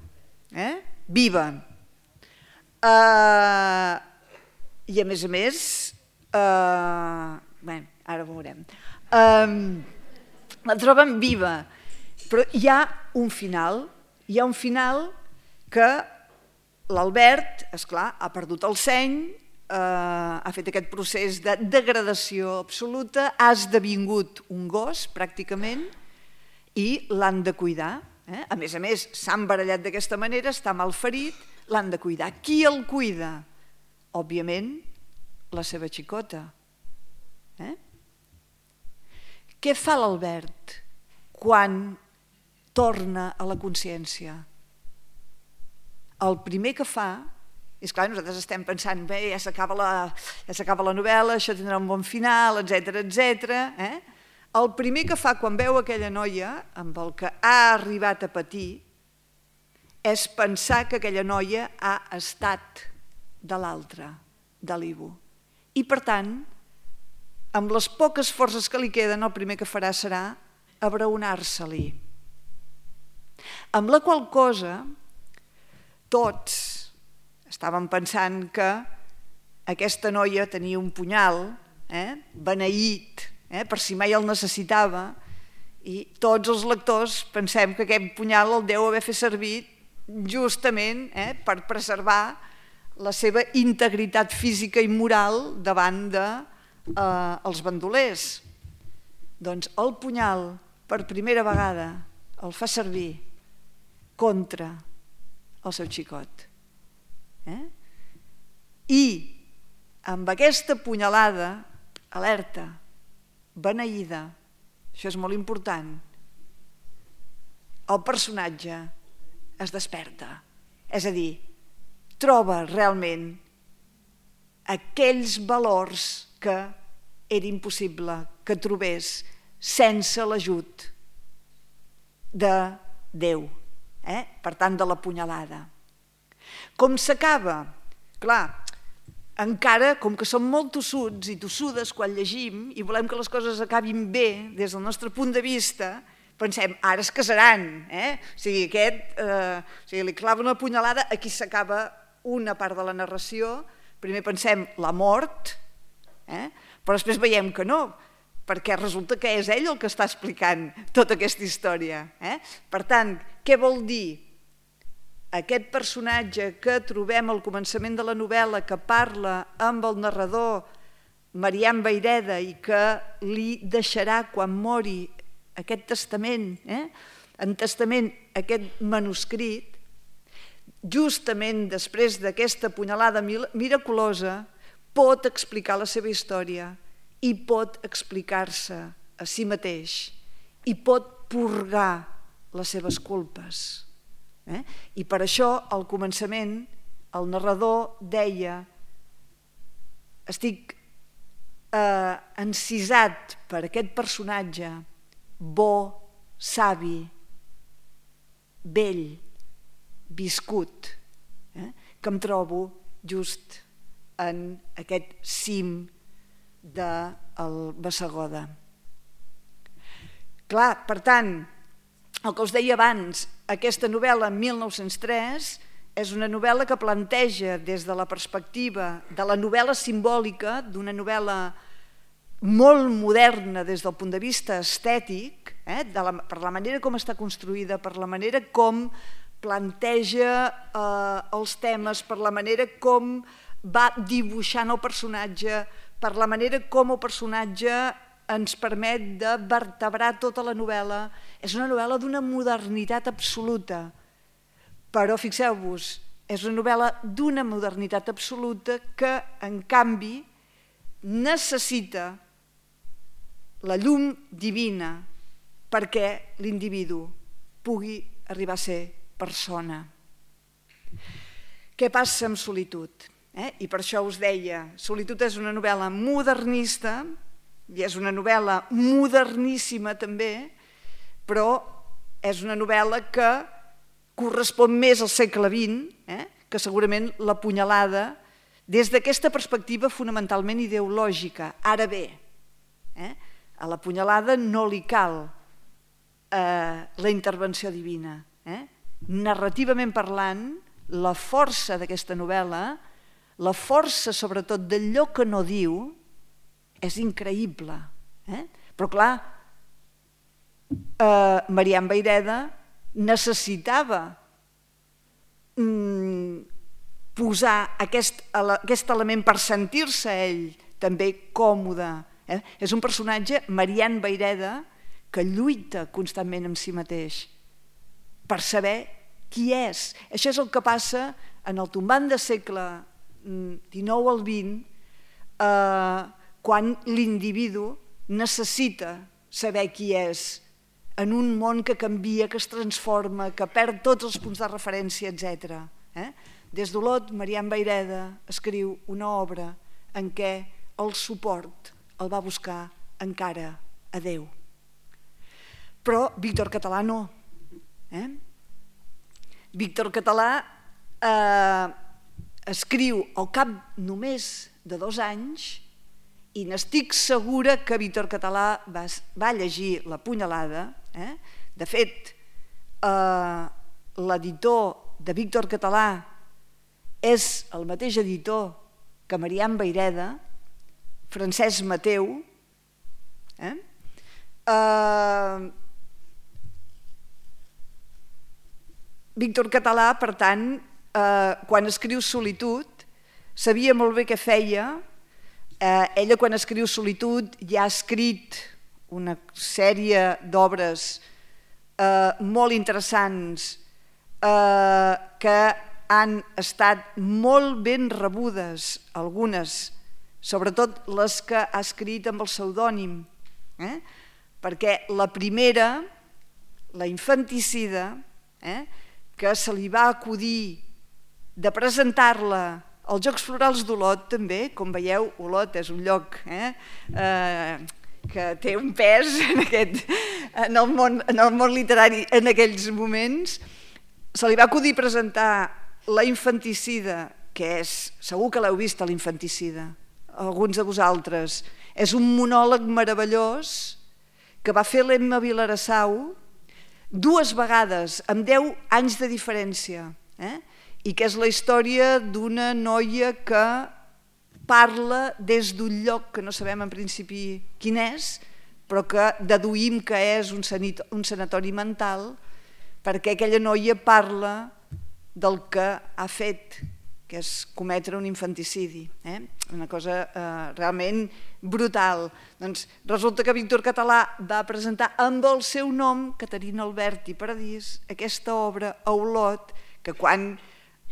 viva. I a més, ara ho veurem, la troben viva, però hi ha un final que l'Albert, esclar, ha perdut el seny, ha fet aquest procés de degradació absoluta, ha esdevingut un gos, pràcticament, i l'han de cuidar. A més, s'han barallat d'aquesta manera, està malferit, l'han de cuidar. Qui el cuida? Òbviament, la seva xicota. Què fa l'Albert quan torna a la consciència? El primer que fa, és clar, nosaltres estem pensant, bé, ja s'acaba la novel·la, això tindrà un bon final, etc. El primer que fa quan veu aquella noia amb el que ha arribat a patir és pensar que aquella noia ha estat de l'altre, de l'Ivo. I per tant, amb les poques forces que li queden, el primer que farà serà abraonar-se-li. Amb la qual cosa, tots estàvem pensant que aquesta noia tenia un punyal beneït, per si mai el necessitava, i tots els lectors pensem que aquest punyal el deu haver fet servir justament per preservar la seva integritat física i moral davant dels bandolers. Doncs el punyal, per primera vegada, el fa servir contra el seu xicot. I amb aquesta punyalada, alerta, beneïda, això és molt important, el personatge es desperta, és a dir, troba realment aquells valors que era impossible que trobés sense l'ajut de Déu, per tant de la punyalada. Com s'acaba? Clar, encara, com que som molt tossuts i tossudes quan llegim i volem que les coses acabin bé des del nostre punt de vista, pensem, ara es casaran, o sigui, li clava una punyalada, aquí s'acaba una part de la narració, primer pensem la mort, però després veiem que no, perquè resulta que és ell el que està explicant tota aquesta història. Per tant, què vol dir? Aquest personatge que trobem al començament de la novel·la, que parla amb el narrador Marian Vayreda i que li deixarà quan mori aquest testament, en testament aquest manuscrit, justament després d'aquesta punyalada miraculosa, pot explicar la seva història i pot explicar-se a si mateix i pot purgar les seves culpes. I per això, al començament, el narrador deia: estic encisat per aquest personatge bo, savi, vell, viscut, que em trobo just en aquest cim del Bassegoda. Clar, per tant, el que us deia abans, aquesta novel·la, 1903, és una novel·la que planteja des de la perspectiva de la novel·la simbòlica, d'una novel·la molt moderna des del punt de vista estètic, per la manera com està construïda, per la manera com planteja els temes, per la manera com va dibuixant el personatge, per la manera com el personatge ens permet de vertebrar tota la novel·la. És una novel·la d'una modernitat absoluta, però fixeu-vos, és una novel·la d'una modernitat absoluta que, en canvi, necessita la llum divina perquè l'individu pugui arribar a ser persona. Què passa amb Solitud? I per això us deia, Solitud és una novel·la modernista i és una novel·la moderníssima també, però és una novel·la que correspon més al segle XX, que segurament La punyalada, des d'aquesta perspectiva fonamentalment ideològica. Ara bé, a La punyalada no li cal la intervenció divina. Narrativament parlant, la força d'aquesta novel·la, la força sobretot d'allò que no diu, és increïble. Però clar, Marian Vayreda necessitava posar aquest element per sentir-se ell també còmode. És un personatge, Marian Vayreda, que lluita constantment amb si mateix per saber qui és. Això és el que passa en el tombant de segle XIX al XX, quan l'individu necessita saber qui és en un món que canvia, que es transforma, que perd tots els punts de referència, etc. Des d'Olot, Marian Vayreda escriu una obra en què el suport el va buscar encara a Déu. Però Víctor Català no. Víctor Català escriu al cap només de 2 anys i n'estic segura que Víctor Català va llegir La punyalada. De fet, l'editor de Víctor Català és el mateix editor que Marian Vayreda, Francesc Mateu. Víctor Català, per tant, quan escriu Solitud, sabia molt bé què feia. Ella, quan escriu Solitud, ja ha escrit una sèrie d'obres molt interessants que han estat molt ben rebudes, algunes, sobretot les que ha escrit amb el pseudònim, perquè la primera, La infanticida, que se li va acudir de presentar-la als Jocs Florals d'Olot també. Com veieu, Olot és un lloc que té un pes en el món literari en aquells moments. Se li va acudir presentar La infanticida, que és, segur que l'heu vist, La infanticida, alguns de vosaltres. És un monòleg meravellós que va fer l'Emma Vilarassau 2 vegades, amb 10 anys de diferència, i que és la història d'una noia que parla des d'un lloc que no sabem en principi quin és, però que deduïm que és un sanatori mental, perquè aquella noia parla del que ha fet, que és cometre un infanticidi. Una cosa realment brutal. Doncs resulta que Víctor Català va presentar amb el seu nom, Caterina Alberti Paradís, aquesta obra a Olot, que quan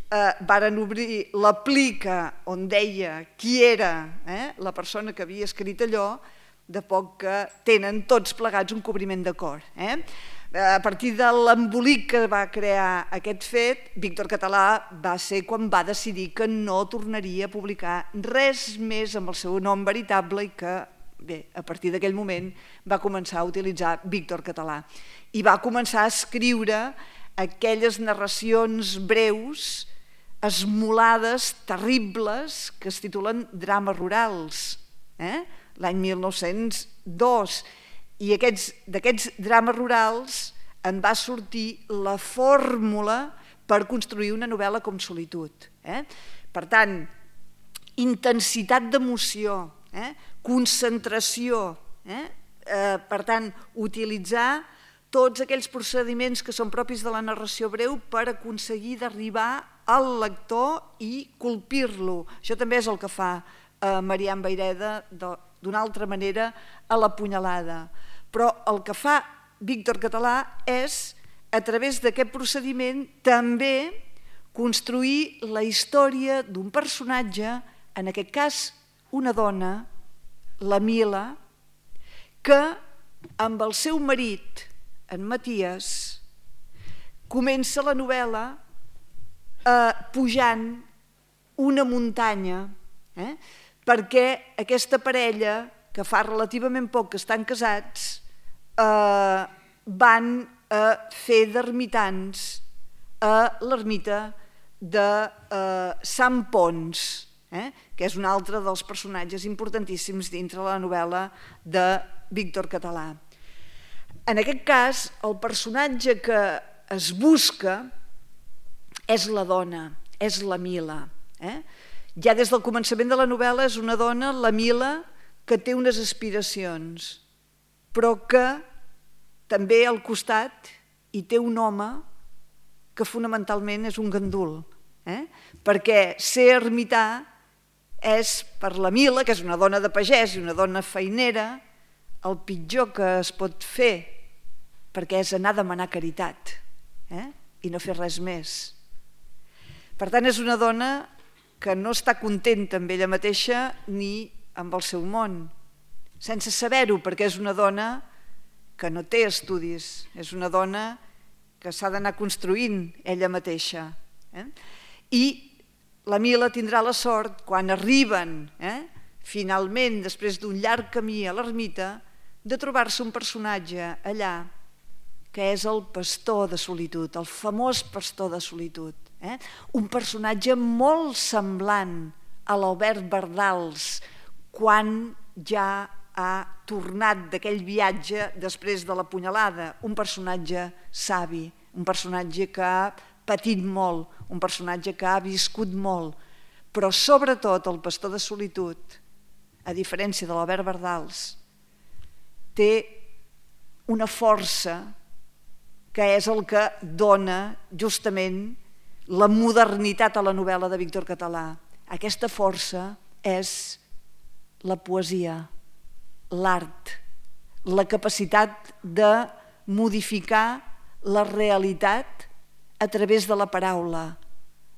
varen obrir la plica on deia qui era la persona que havia escrit allò, de poc que tenen tots plegats un cobriment de cor. A partir de l'embolic que va crear aquest fet, Víctor Català va ser quan va decidir que no tornaria a publicar res més amb el seu nom veritable i que, bé, a partir d'aquell moment va començar a utilitzar Víctor Català. I va començar a escriure aquelles narracions breus, esmolades, terribles, que es titulen Drames rurals, l'any 1902. I d'aquests drames rurals en va sortir la fórmula per construir una novel·la com Solitud. Per tant, intensitat d'emoció, concentració, per tant, utilitzar tots aquells procediments que són propis de la narració breu per aconseguir d'arribar al lector i colpir-lo. Això també és el que fa Marian Vayreda d'una altra manera a La punyalada. Però el que fa Víctor Català és, a través d'aquest procediment, també construir la història d'un personatge, en aquest cas una dona, la Mila, que amb el seu marit, en Maties, comença la novel·la pujant una muntanya, perquè aquesta parella, que fa relativament poc que estan casats, van a fer d'ermitans a l'ermita de Sant Ponç, que és un altre dels personatges importantíssims dintre la novel·la de Víctor Català. En aquest cas, el personatge que es busca és la dona, és la Mila. Ja des del començament de la novel·la és una dona, la Mila, que té unes aspiracions, però que també al costat hi té un home que fonamentalment és un gandul, perquè ser ermità és per la Mila, que és una dona de pagès i una dona feinera, el pitjor que es pot fer, perquè és anar a demanar caritat i no fer res més. Per tant, és una dona que no està contenta amb ella mateixa ni amb el seu món, sense saber-ho, perquè és una dona que no té estudis, és una dona que s'ha d'anar construint ella mateixa. I la Mila tindrà la sort, quan arriben finalment, després d'un llarg camí a l'ermita, de trobar-se un personatge allà que és el pastor de Solitud, el famós pastor de Solitud. Un personatge molt semblant a l'Albert Bardals quan ja ha tornat d'aquell viatge després de la punyalada. Un personatge savi, un personatge que ha patit molt, un personatge que ha viscut molt, però sobretot el pastor de Solitud, a diferència de l'Albert Bardals, té una força que és el que dona justament la modernitat a la novel·la de Víctor Català. Aquesta força és la poesia, l'art, la capacitat de modificar la realitat a través de la paraula,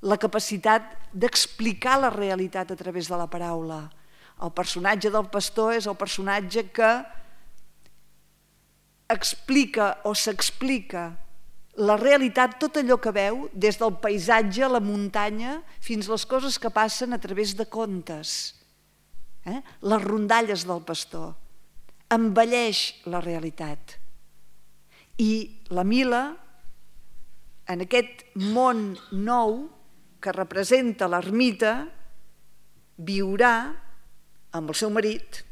la capacitat d'explicar la realitat a través de la paraula. El personatge del pastor és el personatge que explica o s'explica la realitat, tot allò que veu, des del paisatge, la muntanya, fins a les coses que passen a través de contes. Les rondalles del pastor. Embelleix la realitat. I la Mila, en aquest món nou que representa l'ermita, viurà amb el seu marit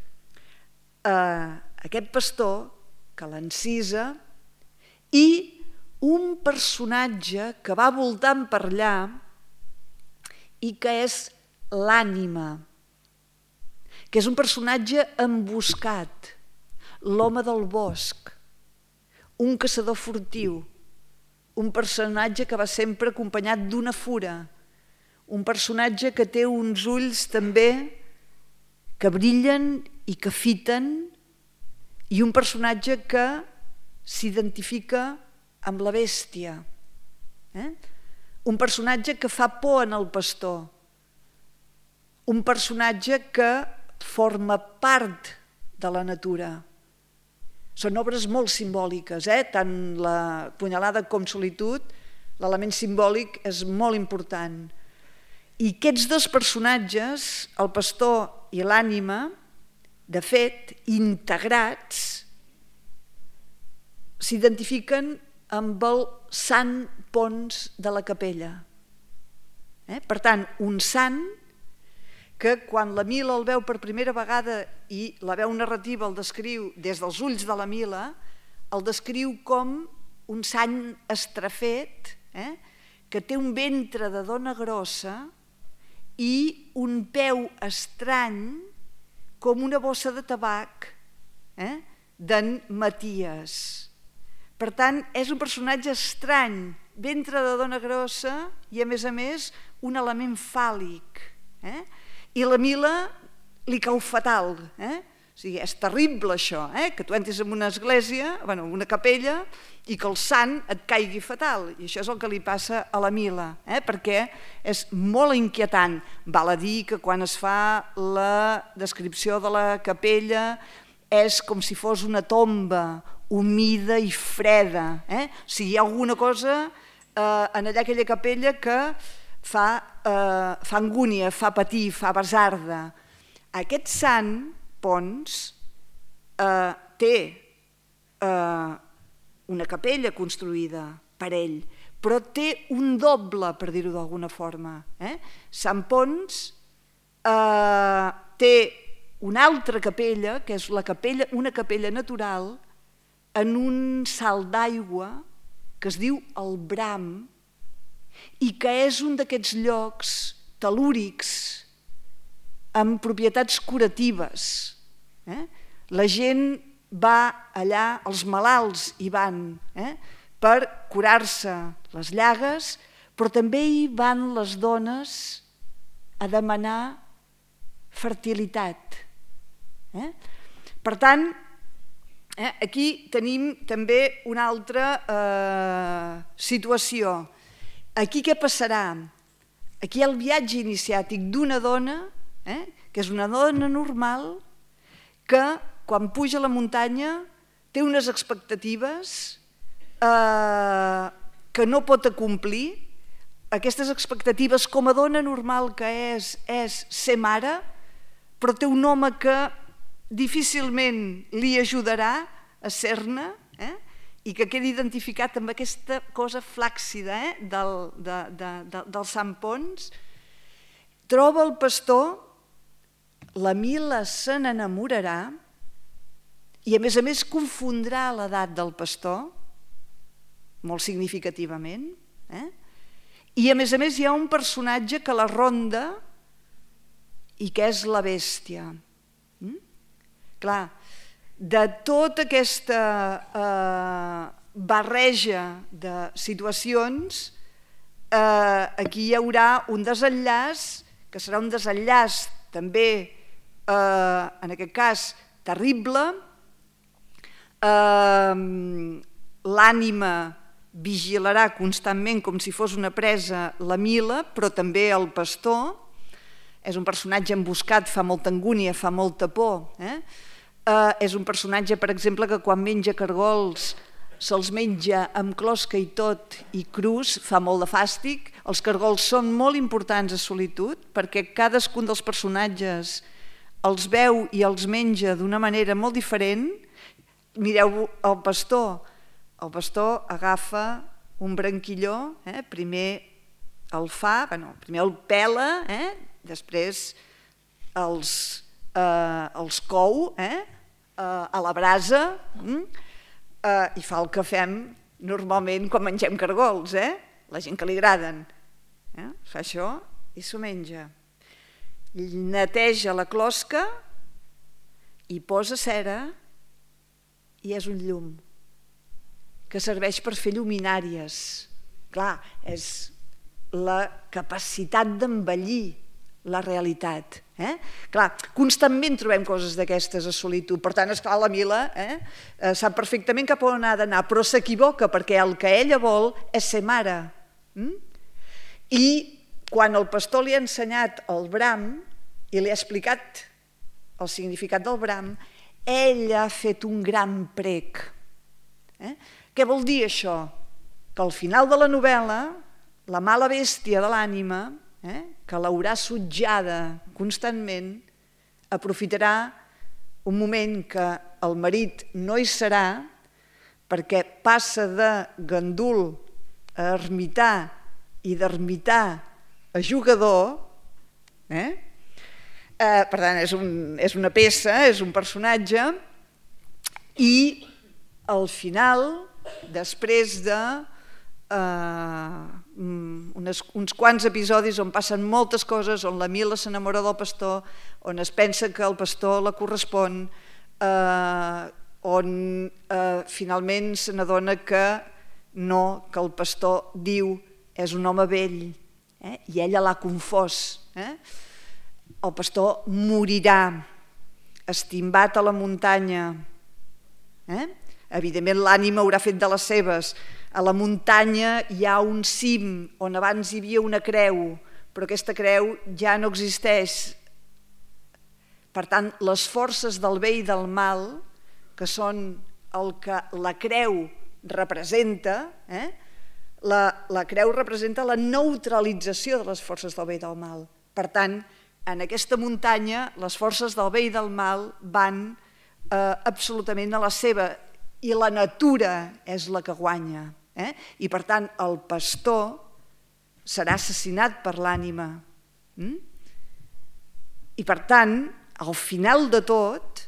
aquest pastor que l'encisa i un personatge que va voltant per allà i que és l'ànima, que és un personatge emboscat, l'home del bosc, un caçador furtiu, un personatge que va sempre acompanyat d'una fura, un personatge que té uns ulls també que brillen i que fiten, i un personatge que s'identifica amb la bèstia. un personatge que fa por en el pastor, un personatge que forma part de la natura. Són obres molt simbòliques, tant la Punyalada com Solitud, l'element simbòlic és molt important. I aquests dos personatges, el pastor i l'ànima, de fet, integrats, s'identifiquen amb el sant Pons de la Capella. Per tant, un sant que quan la Mila el veu per primera vegada i la veu narrativa el descriu des dels ulls de la Mila, el descriu com un sant estrafet, que té un ventre de dona grossa i un peu estrany com una bossa de tabac d'en Maties. Per tant, és un personatge estrany, ventre de dona grossa i, a més, un element fàl·lic. I la Mila li cau fatal. O sigui, és terrible això, que tu entres en una església, en una capella, i que el sant et caigui fatal. I això és el que li passa a la Mila, perquè és molt inquietant. Val a dir que quan es fa la descripció de la capella és com si fos una tomba humida i freda. O sigui, hi ha alguna cosa en allà aquella capella que fa angúnia, fa patir, fa basarda. Aquest sant, Pons, té una capella construïda per ell, però té un doble, per dir-ho d'alguna forma. Sant Pons té una altra capella, que és una capella natural, en un salt d'aigua que es diu el Bram i que és un d'aquests llocs tel·lúrics amb propietats curatives. La gent va allà, els malalts hi van per curar-se les llagues, però també hi van les dones a demanar fertilitat. Per tant, aquí tenim també una altra situació. Aquí què passarà? Aquí hi ha el viatge iniciàtic d'una dona, que és una dona normal, que quan puja a la muntanya té unes expectatives que no pot acomplir. Aquestes expectatives com a dona normal que és ser mare, però té un home que difícilment li ajudarà a ser-ne i que queda identificat amb aquesta cosa flàccida del Sant Pons. Troba el pastor, la Mila se n'enamorarà i a més confondrà l'edat del pastor, molt significativament, i a més hi ha un personatge que la ronda i que és la bèstia. Clar, de tota aquesta barreja de situacions, aquí hi haurà un desenllaç, que serà un desenllaç també, en aquest cas, terrible. L'ànima vigilarà constantment com si fos una presa la Mila, però també el pastor. És un personatge emboscat, fa molta angúnia, fa molta por. És un personatge, per exemple, que quan menja cargols se'ls menja amb closca i tot i crus, fa molt de fàstic. Els cargols són molt importants a Solitud perquè cadascun dels personatges els veu i els menja d'una manera molt diferent. Mireu el pastor. El pastor agafa un branquilló, primer el fa, primer el pela, després els cou a la brasa i fa el que fem normalment quan mengem cargols, la gent que li agraden. Fa això i s'ho menja. Neteja la closca i posa cera i és un llum que serveix per fer lluminàries. Clar, és la capacitat d'embellir la realitat. Clar, constantment trobem coses d'aquestes a Solitud. Per tant, esclar, la Mila sap perfectament cap on ha d'anar, però s'equivoca perquè el que ella vol és ser mare. I quan el pastor li ha ensenyat el bram i li ha explicat el significat del bram, ell ha fet un gran prec. Què vol dir això? Que al final de la novel·la, la mala bèstia de l'ànima, que l'haurà sutjada constantment, aprofitarà un moment que el marit no hi serà, perquè passa de gandul a ermità i d'ermità a jugador. Per tant, és una peça, és un personatge, i al final, després de uns quants episodis on passen moltes coses, on la Mila s'enamora del pastor, on es pensa que el pastor la correspon, on finalment se n'adona que no, que el pastor diu és un home vell, i ella l'ha confós. El pastor morirà estimbat a la muntanya. Evidentment l'ànima haurà fet de les seves. A la muntanya hi ha un cim on abans hi havia una creu, però aquesta creu ja no existeix. Per tant, les forces del bé i del mal, que són el que la creu representa, la creu representa la neutralització de les forces del bé i del mal. Per tant, en aquesta muntanya les forces del bé i del mal van absolutament a la seva, i la natura és la que guanya. I per tant el pastor serà assassinat per l'ànima. I per tant, al final de tot,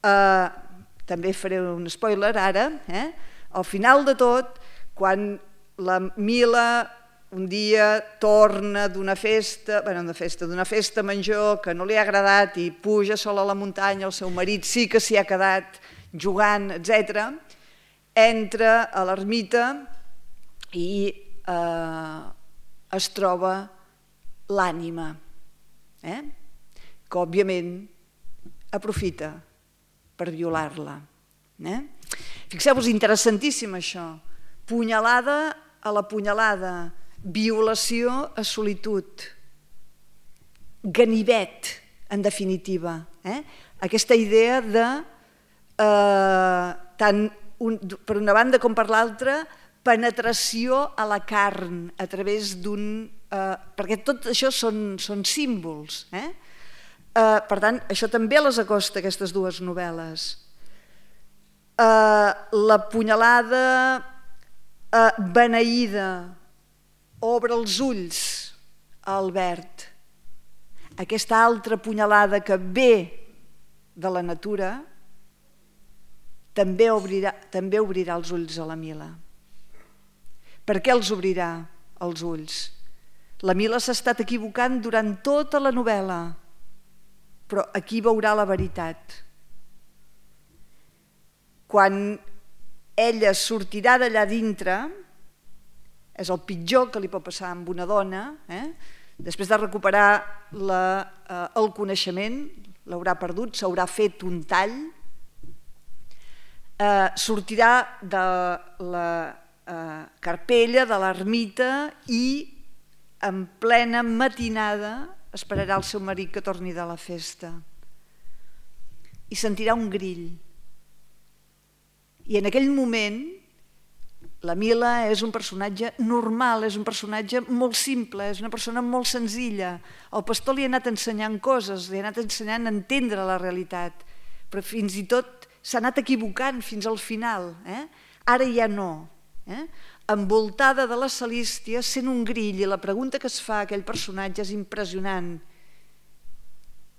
també faré un spoiler ara, al final de tot, quan la Mila un dia torna d'una festa menjor que no li ha agradat i puja sola a la muntanya, el seu marit sí que s'hi ha quedat jugant, etc., entra a l'ermita i es troba l'ànima, que òbviament aprofita per violar-la. Fixeu-vos, interessantíssim això. Punyalada a la punyalada, violació a solitud, ganivet, en definitiva. Aquesta idea de, tant per una banda com per l'altra, penetració a la carn a través d'un... perquè tot això són símbols. Per tant, això també les acosta, aquestes dues novel·les. La punyalada beneïda obre els ulls a Albert. Aquesta altra punyalada que ve de la natura també obrirà els ulls a la Mila. Per què els obrirà els ulls? La Mila s'ha estat equivocant durant tota la novel·la, però aquí veurà la veritat. Quan ella sortirà d'allà dintre, és el pitjor que li pot passar amb una dona, després de recuperar el coneixement, l'haurà perdut, s'haurà fet un tall, sortirà de la carpella, de l'ermita, i en plena matinada esperarà el seu marit que torni de la festa i sentirà un grill. I en aquell moment la Mila és un personatge normal, és un personatge molt simple, és una persona molt senzilla. El pastor li ha anat ensenyant coses, li ha anat ensenyant a entendre la realitat, però fins i tot s'ha anat equivocant fins al final. Ara ja no. Envoltada de la Celístia, sent un grill, i la pregunta que es fa a aquell personatge és impressionant.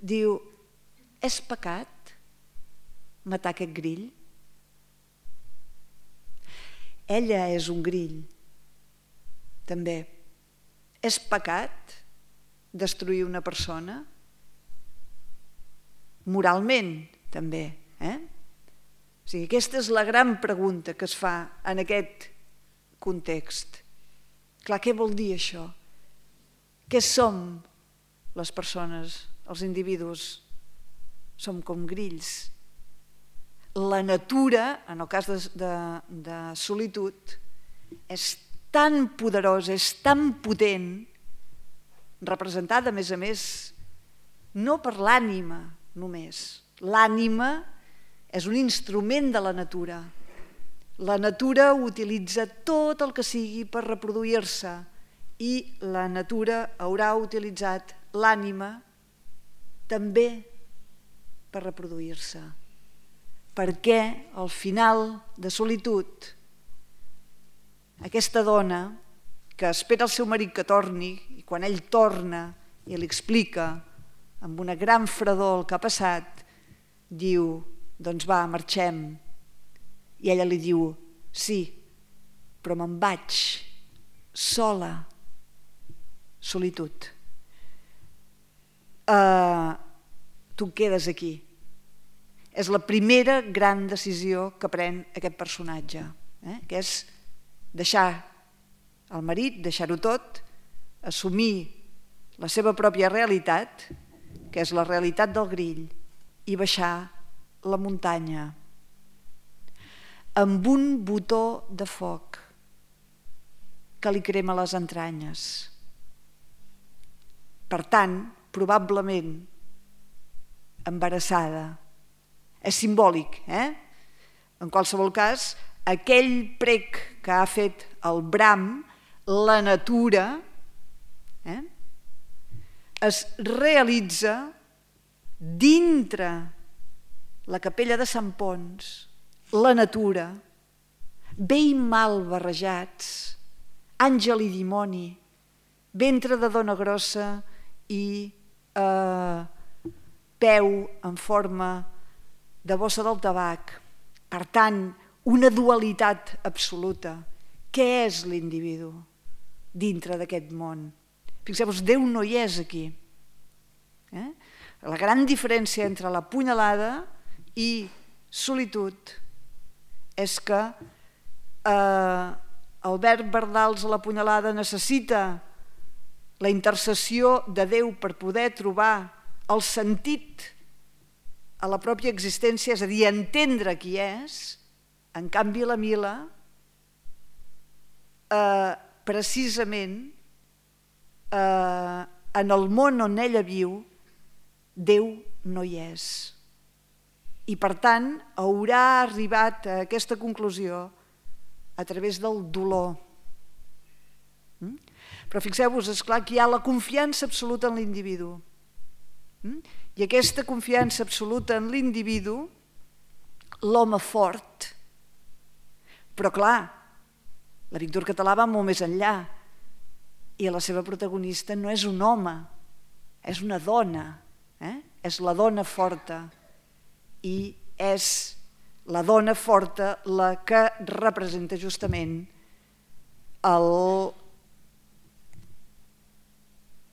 Diu, és pecat matar aquest grill? Ella és un grill, també. És pecat destruir una persona? Moralment, també. O sigui, aquesta és la gran pregunta que es fa en aquest context. Clar, què vol dir això? Què som les persones, els individus? Som com grills. La natura, en el cas de solitud, és tan poderosa, és tan potent, representada, a més, no per l'ànima només. L'ànima és un instrument de la natura. La natura utilitza tot el que sigui per reproduir-se i la natura haurà utilitzat l'ànima també per reproduir-se. Perquè al final de solitud, aquesta dona que espera el seu marit que torni i quan ell torna i li explica amb una gran fredor el que ha passat, diu, doncs va, marxem. I ella li diu, sí, però me'n vaig, sola, solitud. Tu quedes aquí. És la primera gran decisió que pren aquest personatge, que és deixar el marit, deixar-ho tot, assumir la seva pròpia realitat, que és la realitat del grill, i baixar la muntanya amb un botó de foc que li crema les entranyes. Per tant, probablement embarassada. És simbòlic, En qualsevol cas, aquell prec que ha fet el Bram, la natura, es realitza dintre la capella de Sant Ponç, la natura, bé i mal barrejats, àngel i dimoni, ventre de dona grossa i peu en forma de bossa del tabac. Per tant, una dualitat absoluta. Què és l'individu dintre d'aquest món? Fixeu-vos, Déu no hi és aquí. La gran diferència entre la punyalada i solitud és que Albert Bardals a la punyalada necessita la intercessió de Déu per poder trobar el sentit a la pròpia existència, és a dir, entendre qui és. En canvi, la Mila, precisament, en el món on ella viu, Déu no hi és. I per tant, haurà arribat a aquesta conclusió a través del dolor. Però fixeu-vos, esclar, que hi ha la confiança absoluta en l'individu. I aquesta confiança absoluta en l'individu, l'home fort. Però clar, la Víctor Català va molt més enllà i la seva protagonista no és un home, és una dona, és la dona forta i és la dona forta la que representa justament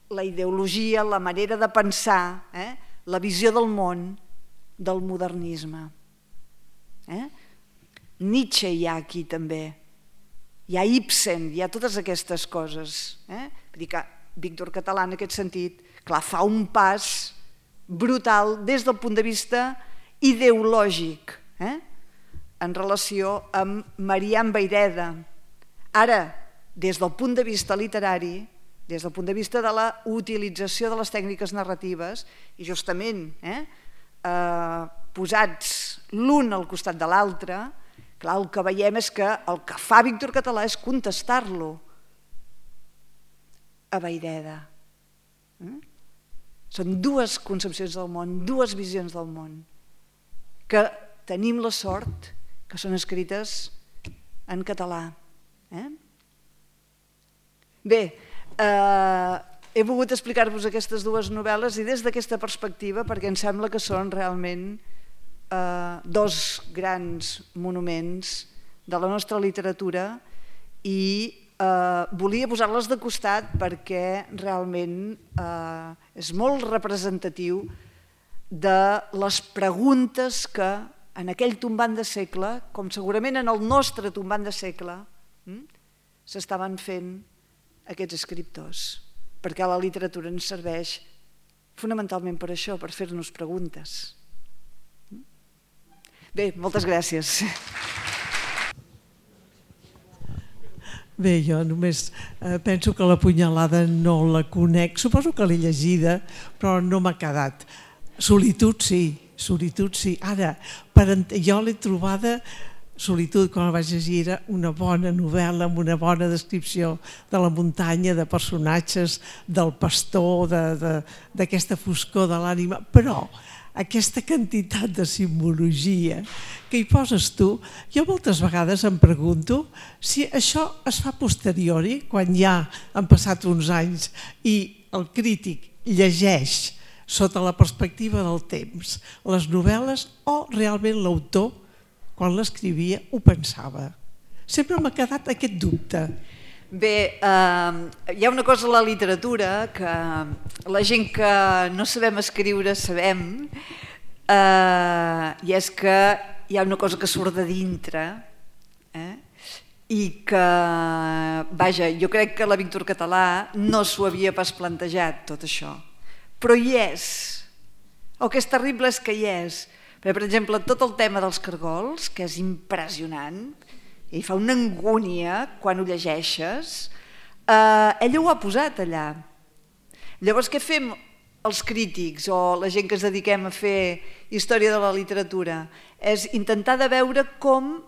la ideologia, la manera de pensar, la visió del món del modernisme. Nietzsche hi ha aquí també, hi ha Ibsen, hi ha totes aquestes coses. Vull dir que Víctor Català en aquest sentit, clar, fa un pas brutal des del punt de vista ideològic en relació amb Marian Vayreda. Ara, des del punt de vista literari, des del punt de vista de la utilització de les tècniques narratives i justament posats l'un al costat de l'altre, clar, el que veiem és que el que fa Víctor Català és contestar-lo a Vayreda. Són dues concepcions del món, dues visions del món, que tenim la sort que són escrites en català. Bé, he volgut explicar-vos aquestes dues novel·les i des d'aquesta perspectiva perquè em sembla que són realment dos grans monuments de la nostra literatura i volia posar-les de costat perquè realment és molt representatiu de les preguntes que en aquell tombant de segle, com segurament en el nostre tombant de segle, s'estaven fent aquests escriptors, perquè la literatura ens serveix fonamentalment per això, per fer-nos preguntes. Bé, moltes gràcies. Bé, jo només penso que la punyalada no la conec, suposo que l'he llegida, però no m'ha quedat. Solitud sí. Ara, jo l'he trobada, Solitud, quan la vaig llegir, era una bona novel·la amb una bona descripció de la muntanya, de personatges, del pastor, d'aquesta foscor de l'ànima, però aquesta quantitat de simbologia que hi poses tu, jo moltes vegades em pregunto si això es fa a posteriori, quan ja han passat uns anys i el crític llegeix sota la perspectiva del temps les novel·les, o realment l'autor, quan l'escrivia, ho pensava. Sempre m'ha quedat aquest dubte. Bé, hi ha una cosa a la literatura que la gent que no sabem escriure sabem, i és que hi ha una cosa que surt de dintre, i que, vaja, jo crec que la Víctor Català no s'ho havia pas plantejat, tot això. Però hi és. El que és terrible és que hi és. Per exemple, tot el tema dels cargols, que és impressionant, i fa una angúnia quan ho llegeixes, ella ho ha posat allà. Llavors, què fem els crítics o la gent que es dediquem a fer història de la literatura? És intentar de veure com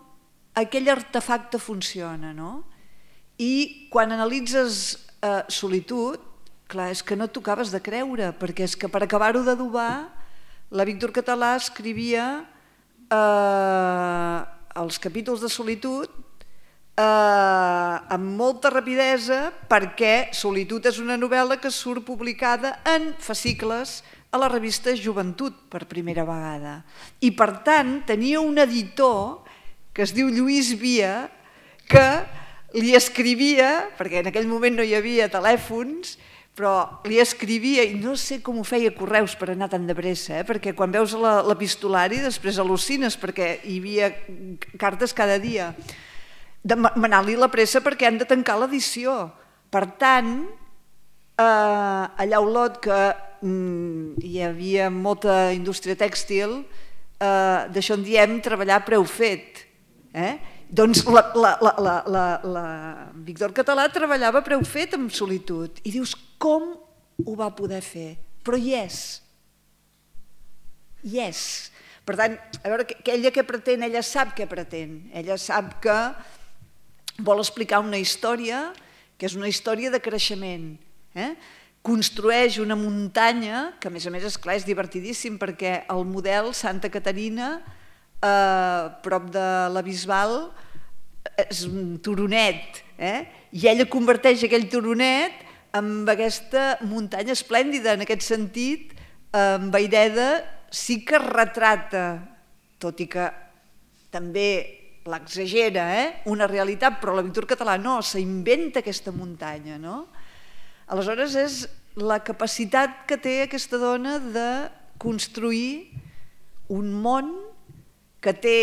aquell artefacte funciona, no? I quan analitzes Solitud, clar, és que no t'ho acabes de creure, perquè és que per acabar-ho d'adobar, la Víctor Català escrivia els capítols de Solitud amb molta rapidesa, perquè Solitud és una novel·la que surt publicada en fascicles a la revista Joventut per primera vegada. I per tant tenia un editor que es diu Lluís Via, que li escrivia, perquè en aquell moment no hi havia telèfons, però li escrivia, i no sé com ho feia correus per anar tan de pressa, perquè quan veus l'epistolari després al·lucines, perquè hi havia cartes cada dia, demanar-li la pressa perquè han de tancar l'edició. Per tant, allà a Olot, que hi havia molta indústria tèxtil, d'això en diem treballar a preu fet. Doncs la Víctor Català treballava a preu fet amb Solitud. I dius, com ho va poder fer? Però hi és. Hi és. Per tant, a veure, ella què pretén? Ella sap què pretén. Ella sap que vol explicar una història que és una història de creixement. Construeix una muntanya, que a més és clar, és divertidíssim, perquè el model Santa Caterina, prop de la Bisbal, és un turonet, i ella converteix aquell turonet en aquesta muntanya esplèndida. En aquest sentit, en Vayreda sí que retrata, tot i que també l'exagera, una realitat, però la Víctor Català no, s'inventa aquesta muntanya, no? Aleshores és la capacitat que té aquesta dona de construir un món que té,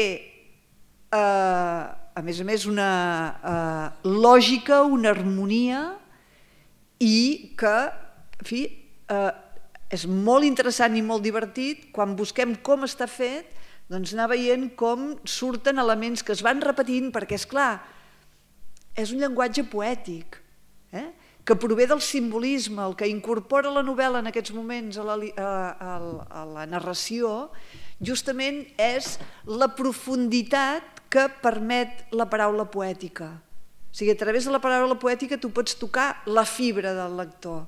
a més, una lògica, una harmonia, i que, en fi, és molt interessant i molt divertit. Quan busquem com està fet, doncs anar veient com surten elements que es van repetint, perquè, és clar, és un llenguatge poètic, que prové del simbolisme. El que incorpora la novel·la en aquests moments a la narració justament és la profunditat que permet la paraula poètica. O sigui, a través de la paraula poètica tu pots tocar la fibra del lector.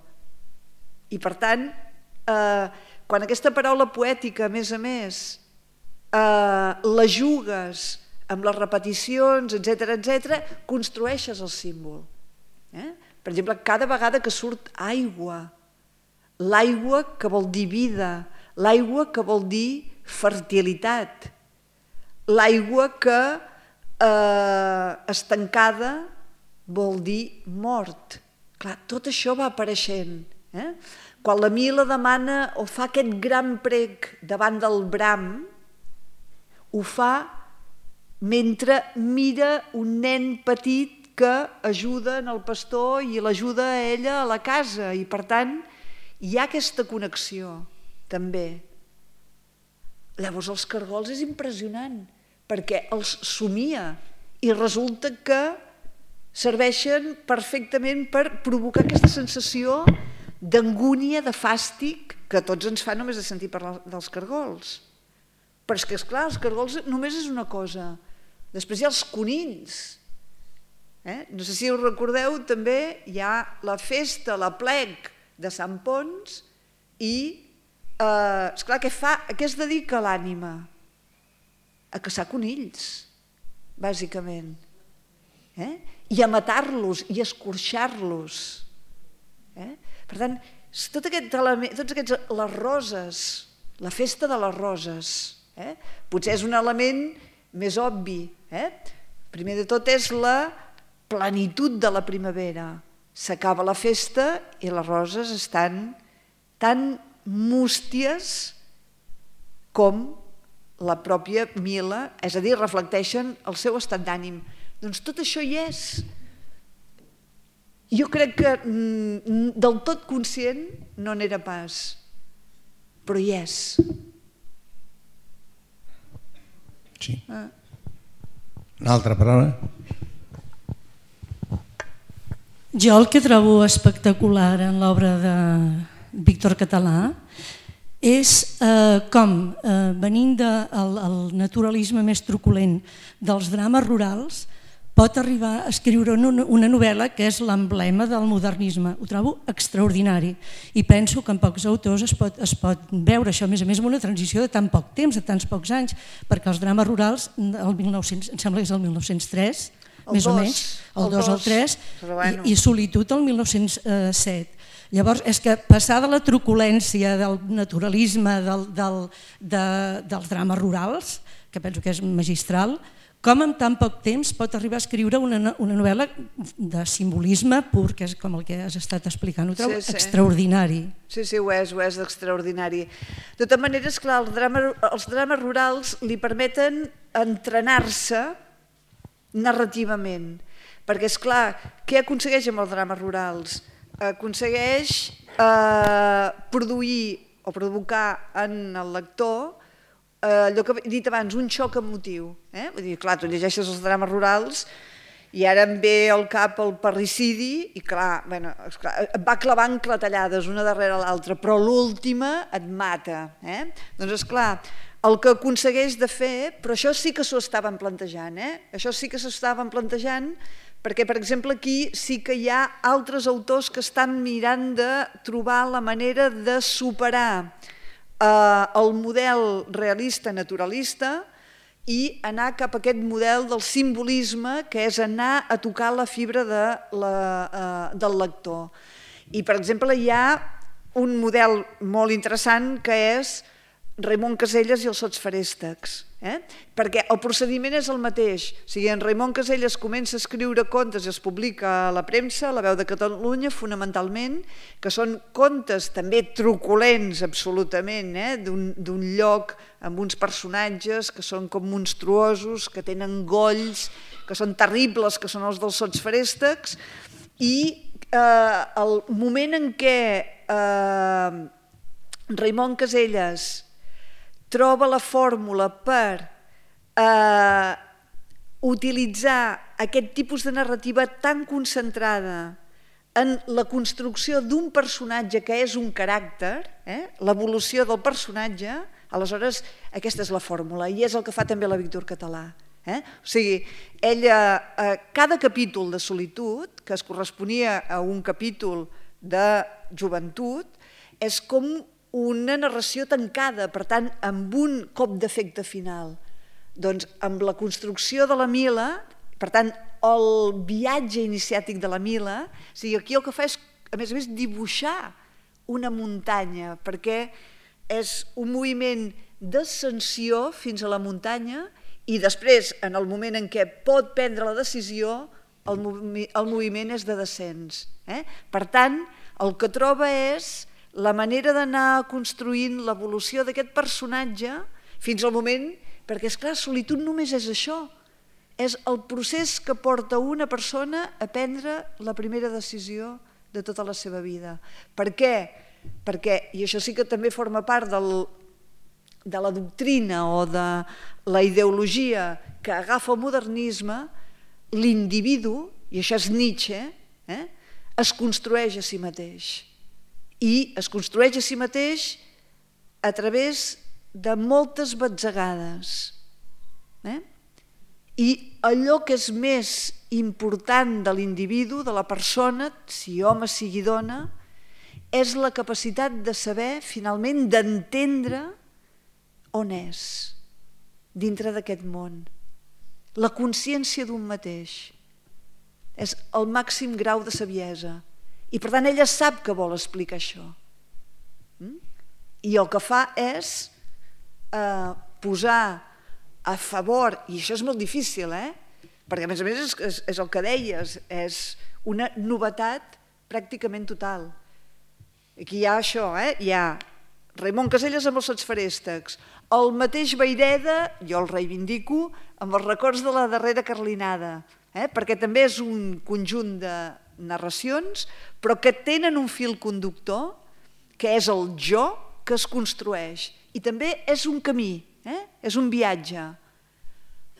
I per tant, quan aquesta paraula poètica, a més, la jugues amb les repeticions, etc., construeixes el símbol. Per exemple, cada vegada que surt aigua, l'aigua que vol dir vida, l'aigua que vol dir fertilitat, l'aigua que estancada vol dir mort. Clar, tot això va apareixent. Quan la Mila demana o fa aquest gran prec davant del Bram, ho fa mentre mira un nen petit que ajuda en el pastor i l'ajuda a ella a la casa, i per tant hi ha aquesta connexió també. Llavors els cargols és impressionant, perquè els somia i resulta que serveixen perfectament per provocar aquesta sensació d'angúnia, de fàstic, que a tots ens fa només de sentir parlar dels cargols. Però és que, esclar, els cargols només és una cosa. Després hi ha els conills. No sé si us recordeu, també hi ha la festa, l'aplec de Sant Ponç i, esclar, què fa? A què es dedica l'ànima? A caçar conills, bàsicament. I a matar-los i a escorxar-los. Per tant, tots aquests, les roses, la festa de les roses, potser és un element més obvi. Primer de tot és la plenitud de la primavera. S'acaba la festa i les roses estan tan músties com la pròpia Mila, és a dir, reflecteixen el seu estat d'ànim. Doncs tot això hi és. Jo crec que del tot conscient no n'era pas, però hi és. Sí. Una altra paraula? Jo el que trobo espectacular en l'obra de Víctor Català és com, venint del naturalisme més truculent dels drames rurals, pot arribar a escriure una novel·la que és l'emblema del modernisme. Ho trobo extraordinari i penso que en pocs autors es pot veure això, a més amb una transició de tan poc temps, de tants pocs anys, perquè els drames rurals, em sembla que és el 1903, més o menys, el 2 o el 3, i Solitud el 1907. Llavors, és que passar de la truculència, del naturalisme, dels drames rurals, que penso que és magistral, com en tan poc temps pot arribar a escriure una novel·la de simbolisme pur, que és com el que has estat explicant. Ho trobo extraordinari. Sí, ho és extraordinari. De totes maneres, clar, els drames rurals li permeten entrenar-se narrativament, perquè, esclar, què aconsegueix amb els drames rurals? Aconsegueix produir o provocar en el lector allò que he dit abans, un xoc emotiu. Vull dir, clar, tu llegeixes els drames rurals i ara em ve al cap el parricidi i clar, et va clavant clatellades una darrere l'altra, però l'última et mata. Doncs esclar, el que aconsegueix de fer, però això sí que s'ho estaven plantejant, això sí que s'ho estaven plantejant, perquè, per exemple, aquí sí que hi ha altres autors que estan mirant de trobar la manera de superar el model realista naturalista i anar cap a aquest model del simbolisme, que és anar a tocar la fibra del lector. I, per exemple, hi ha un model molt interessant que és Raimon Casellas i els Sots Feréstecs, perquè el procediment és el mateix. O sigui, en Raimon Casellas comença a escriure contes i els publica a la premsa, a La Veu de Catalunya, fonamentalment, que són contes també truculents, absolutament, d'un lloc amb uns personatges que són com monstruosos, que tenen golls, que són terribles, que són els dels Sots Feréstecs, i el moment en què Raimon Casellas troba la fórmula per utilitzar aquest tipus de narrativa tan concentrada en la construcció d'un personatge que és un caràcter, l'evolució del personatge, aleshores aquesta és la fórmula i és el que fa també la Víctor Català. O sigui, ella, cada capítol de Solitud, que es corresponia a un capítol de joventut, és com una narració tancada, per tant, amb un cop d'efecte final. Doncs amb la construcció de la Mila, per tant, el viatge iniciàtic de la Mila, o sigui, aquí el que fa és, a més, dibuixar una muntanya, perquè és un moviment d'ascensió fins a la muntanya i després, en el moment en què pot prendre la decisió, el moviment és de descens. Per tant, el que troba és la manera d'anar construint l'evolució d'aquest personatge fins al moment, perquè, esclar, Solitud només és això, és el procés que porta una persona a prendre la primera decisió de tota la seva vida. Per què? Perquè, i això sí que també forma part de la doctrina o de la ideologia que agafa el modernisme, l'individu i això és Nietzsche, es construeix a si mateix. I es construeix a si mateix a través de moltes batzegades. I allò que és més important de l'individu, de la persona, si home, sigui dona, és la capacitat de saber, finalment, d'entendre on és, dintre d'aquest món. La consciència d'un mateix és el màxim grau de saviesa. I, per tant, ella sap que vol explicar això. I el que fa és posar a favor, i això és molt difícil, perquè a més és el que deies, és una novetat pràcticament total. Aquí hi ha això, hi ha Raimon Casellas amb els Satsferèstecs, el mateix Vayreda, jo el reivindico, amb els records de la darrera Carlinada, perquè també és un conjunt de narracions, però que tenen un fil conductor, que és el jo que es construeix. I també és un camí, és un viatge.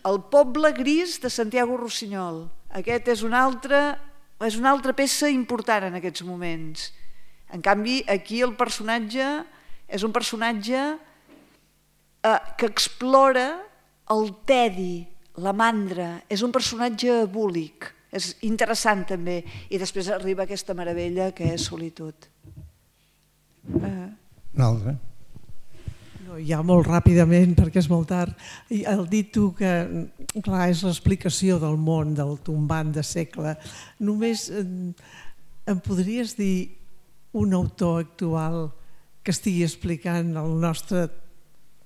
El poble gris de Santiago Rossinyol. Aquest és una altra peça important en aquests moments. En canvi, aquí el personatge és un personatge que explora el tedi, la mandra. És un personatge búlic. És interessant també. I després arriba aquesta meravella que és Solitud. Un altre. Ja molt ràpidament, perquè és molt tard. El dit tu que, clar, és l'explicació del món, del tombant de segle. Només em podries dir un autor actual que estigui explicant el nostre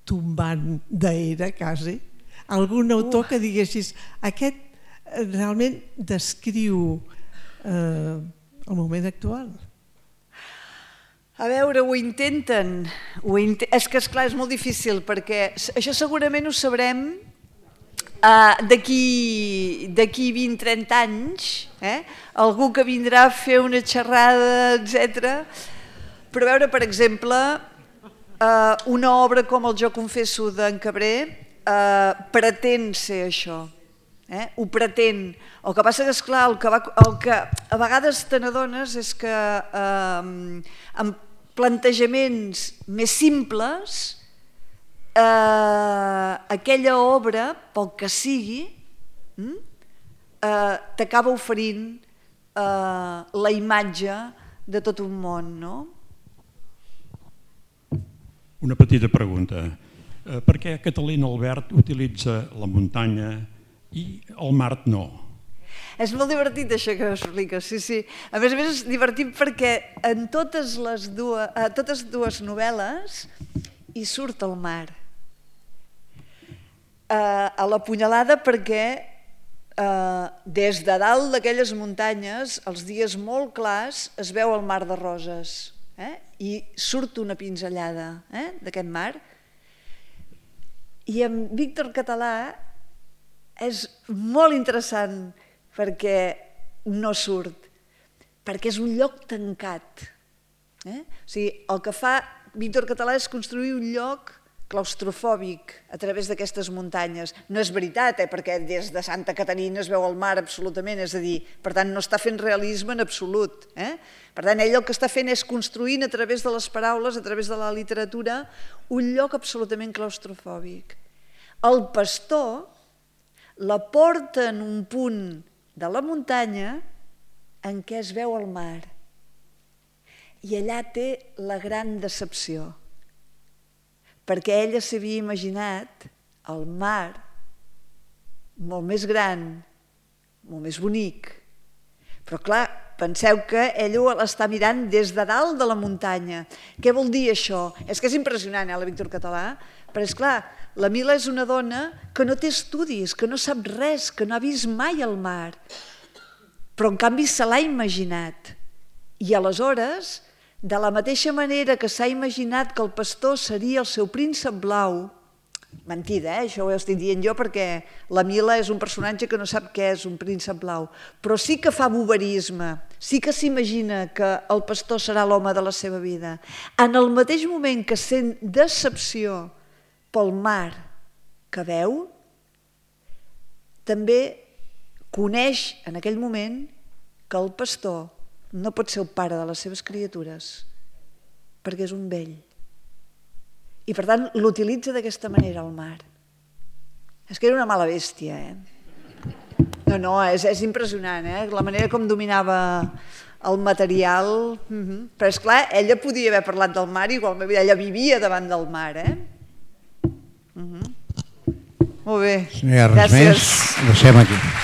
tombant d'era, quasi? Algun autor que diguessis, aquest realment descriu el moment actual? A veure, ho intenten. És que, esclar, és molt difícil, perquè això segurament ho sabrem d'aquí 20-30 anys, algú que vindrà a fer una xerrada, etc. Però a veure, per exemple, una obra com el Jo confesso d'en Cabré pretén ser això. Ho pretén. El que passa que, esclar, el que a vegades te n'adones és que amb plantejaments més simples aquella obra, pel que sigui, t'acaba oferint la imatge de tot un món, no? Una petita pregunta. Per què Catalina Albert utilitza la muntanya i el mar no? És molt divertit això que expliques, sí. A més és divertit perquè en totes dues novel·les hi surt el mar. A la Punyalada perquè des de dalt d'aquelles muntanyes, els dies molt clars, es veu el mar de Roses i surt una pinzellada d'aquest mar. I amb Víctor Català és molt interessant perquè no surt, perquè és un lloc tancat. O sigui, el que fa Víctor Català és construir un lloc claustrofòbic a través d'aquestes muntanyes. No és veritat, perquè des de Santa Caterina es veu el mar absolutament, és a dir, per tant, no està fent realisme en absolut. Per tant, ell el que està fent és construint a través de les paraules, a través de la literatura, un lloc absolutament claustrofòbic. El pastor la porta en un punt de la muntanya en què es veu el mar. I allà té la gran decepció, perquè ella s'havia imaginat el mar molt més gran, molt més bonic. Però clar, penseu que ella l'està mirant des de dalt de la muntanya. Què vol dir això? És que és impressionant, la Víctor Català, però és clar, la Mila és una dona que no té estudis, que no sap res, que no ha vist mai el mar, però en canvi se l'ha imaginat. I aleshores, de la mateixa manera que s'ha imaginat que el pastor seria el seu príncep blau, mentida, això ho estic dient jo perquè la Mila és un personatge que no sap què és un príncep blau, però sí que fa boberisme, sí que s'imagina que el pastor serà l'home de la seva vida. En el mateix moment que sent decepció pel mar que veu, també coneix en aquell moment que el pastor no pot ser el pare de les seves criatures perquè és un vell. I per tant l'utilitza d'aquesta manera al mar. És que era una mala bèstia, No, és impressionant, la manera com dominava el material. Però és clar, ella podia haver parlat del mar, igualment ella vivia davant del mar, Molt bé. Si no hi ha res més, deixem aquí.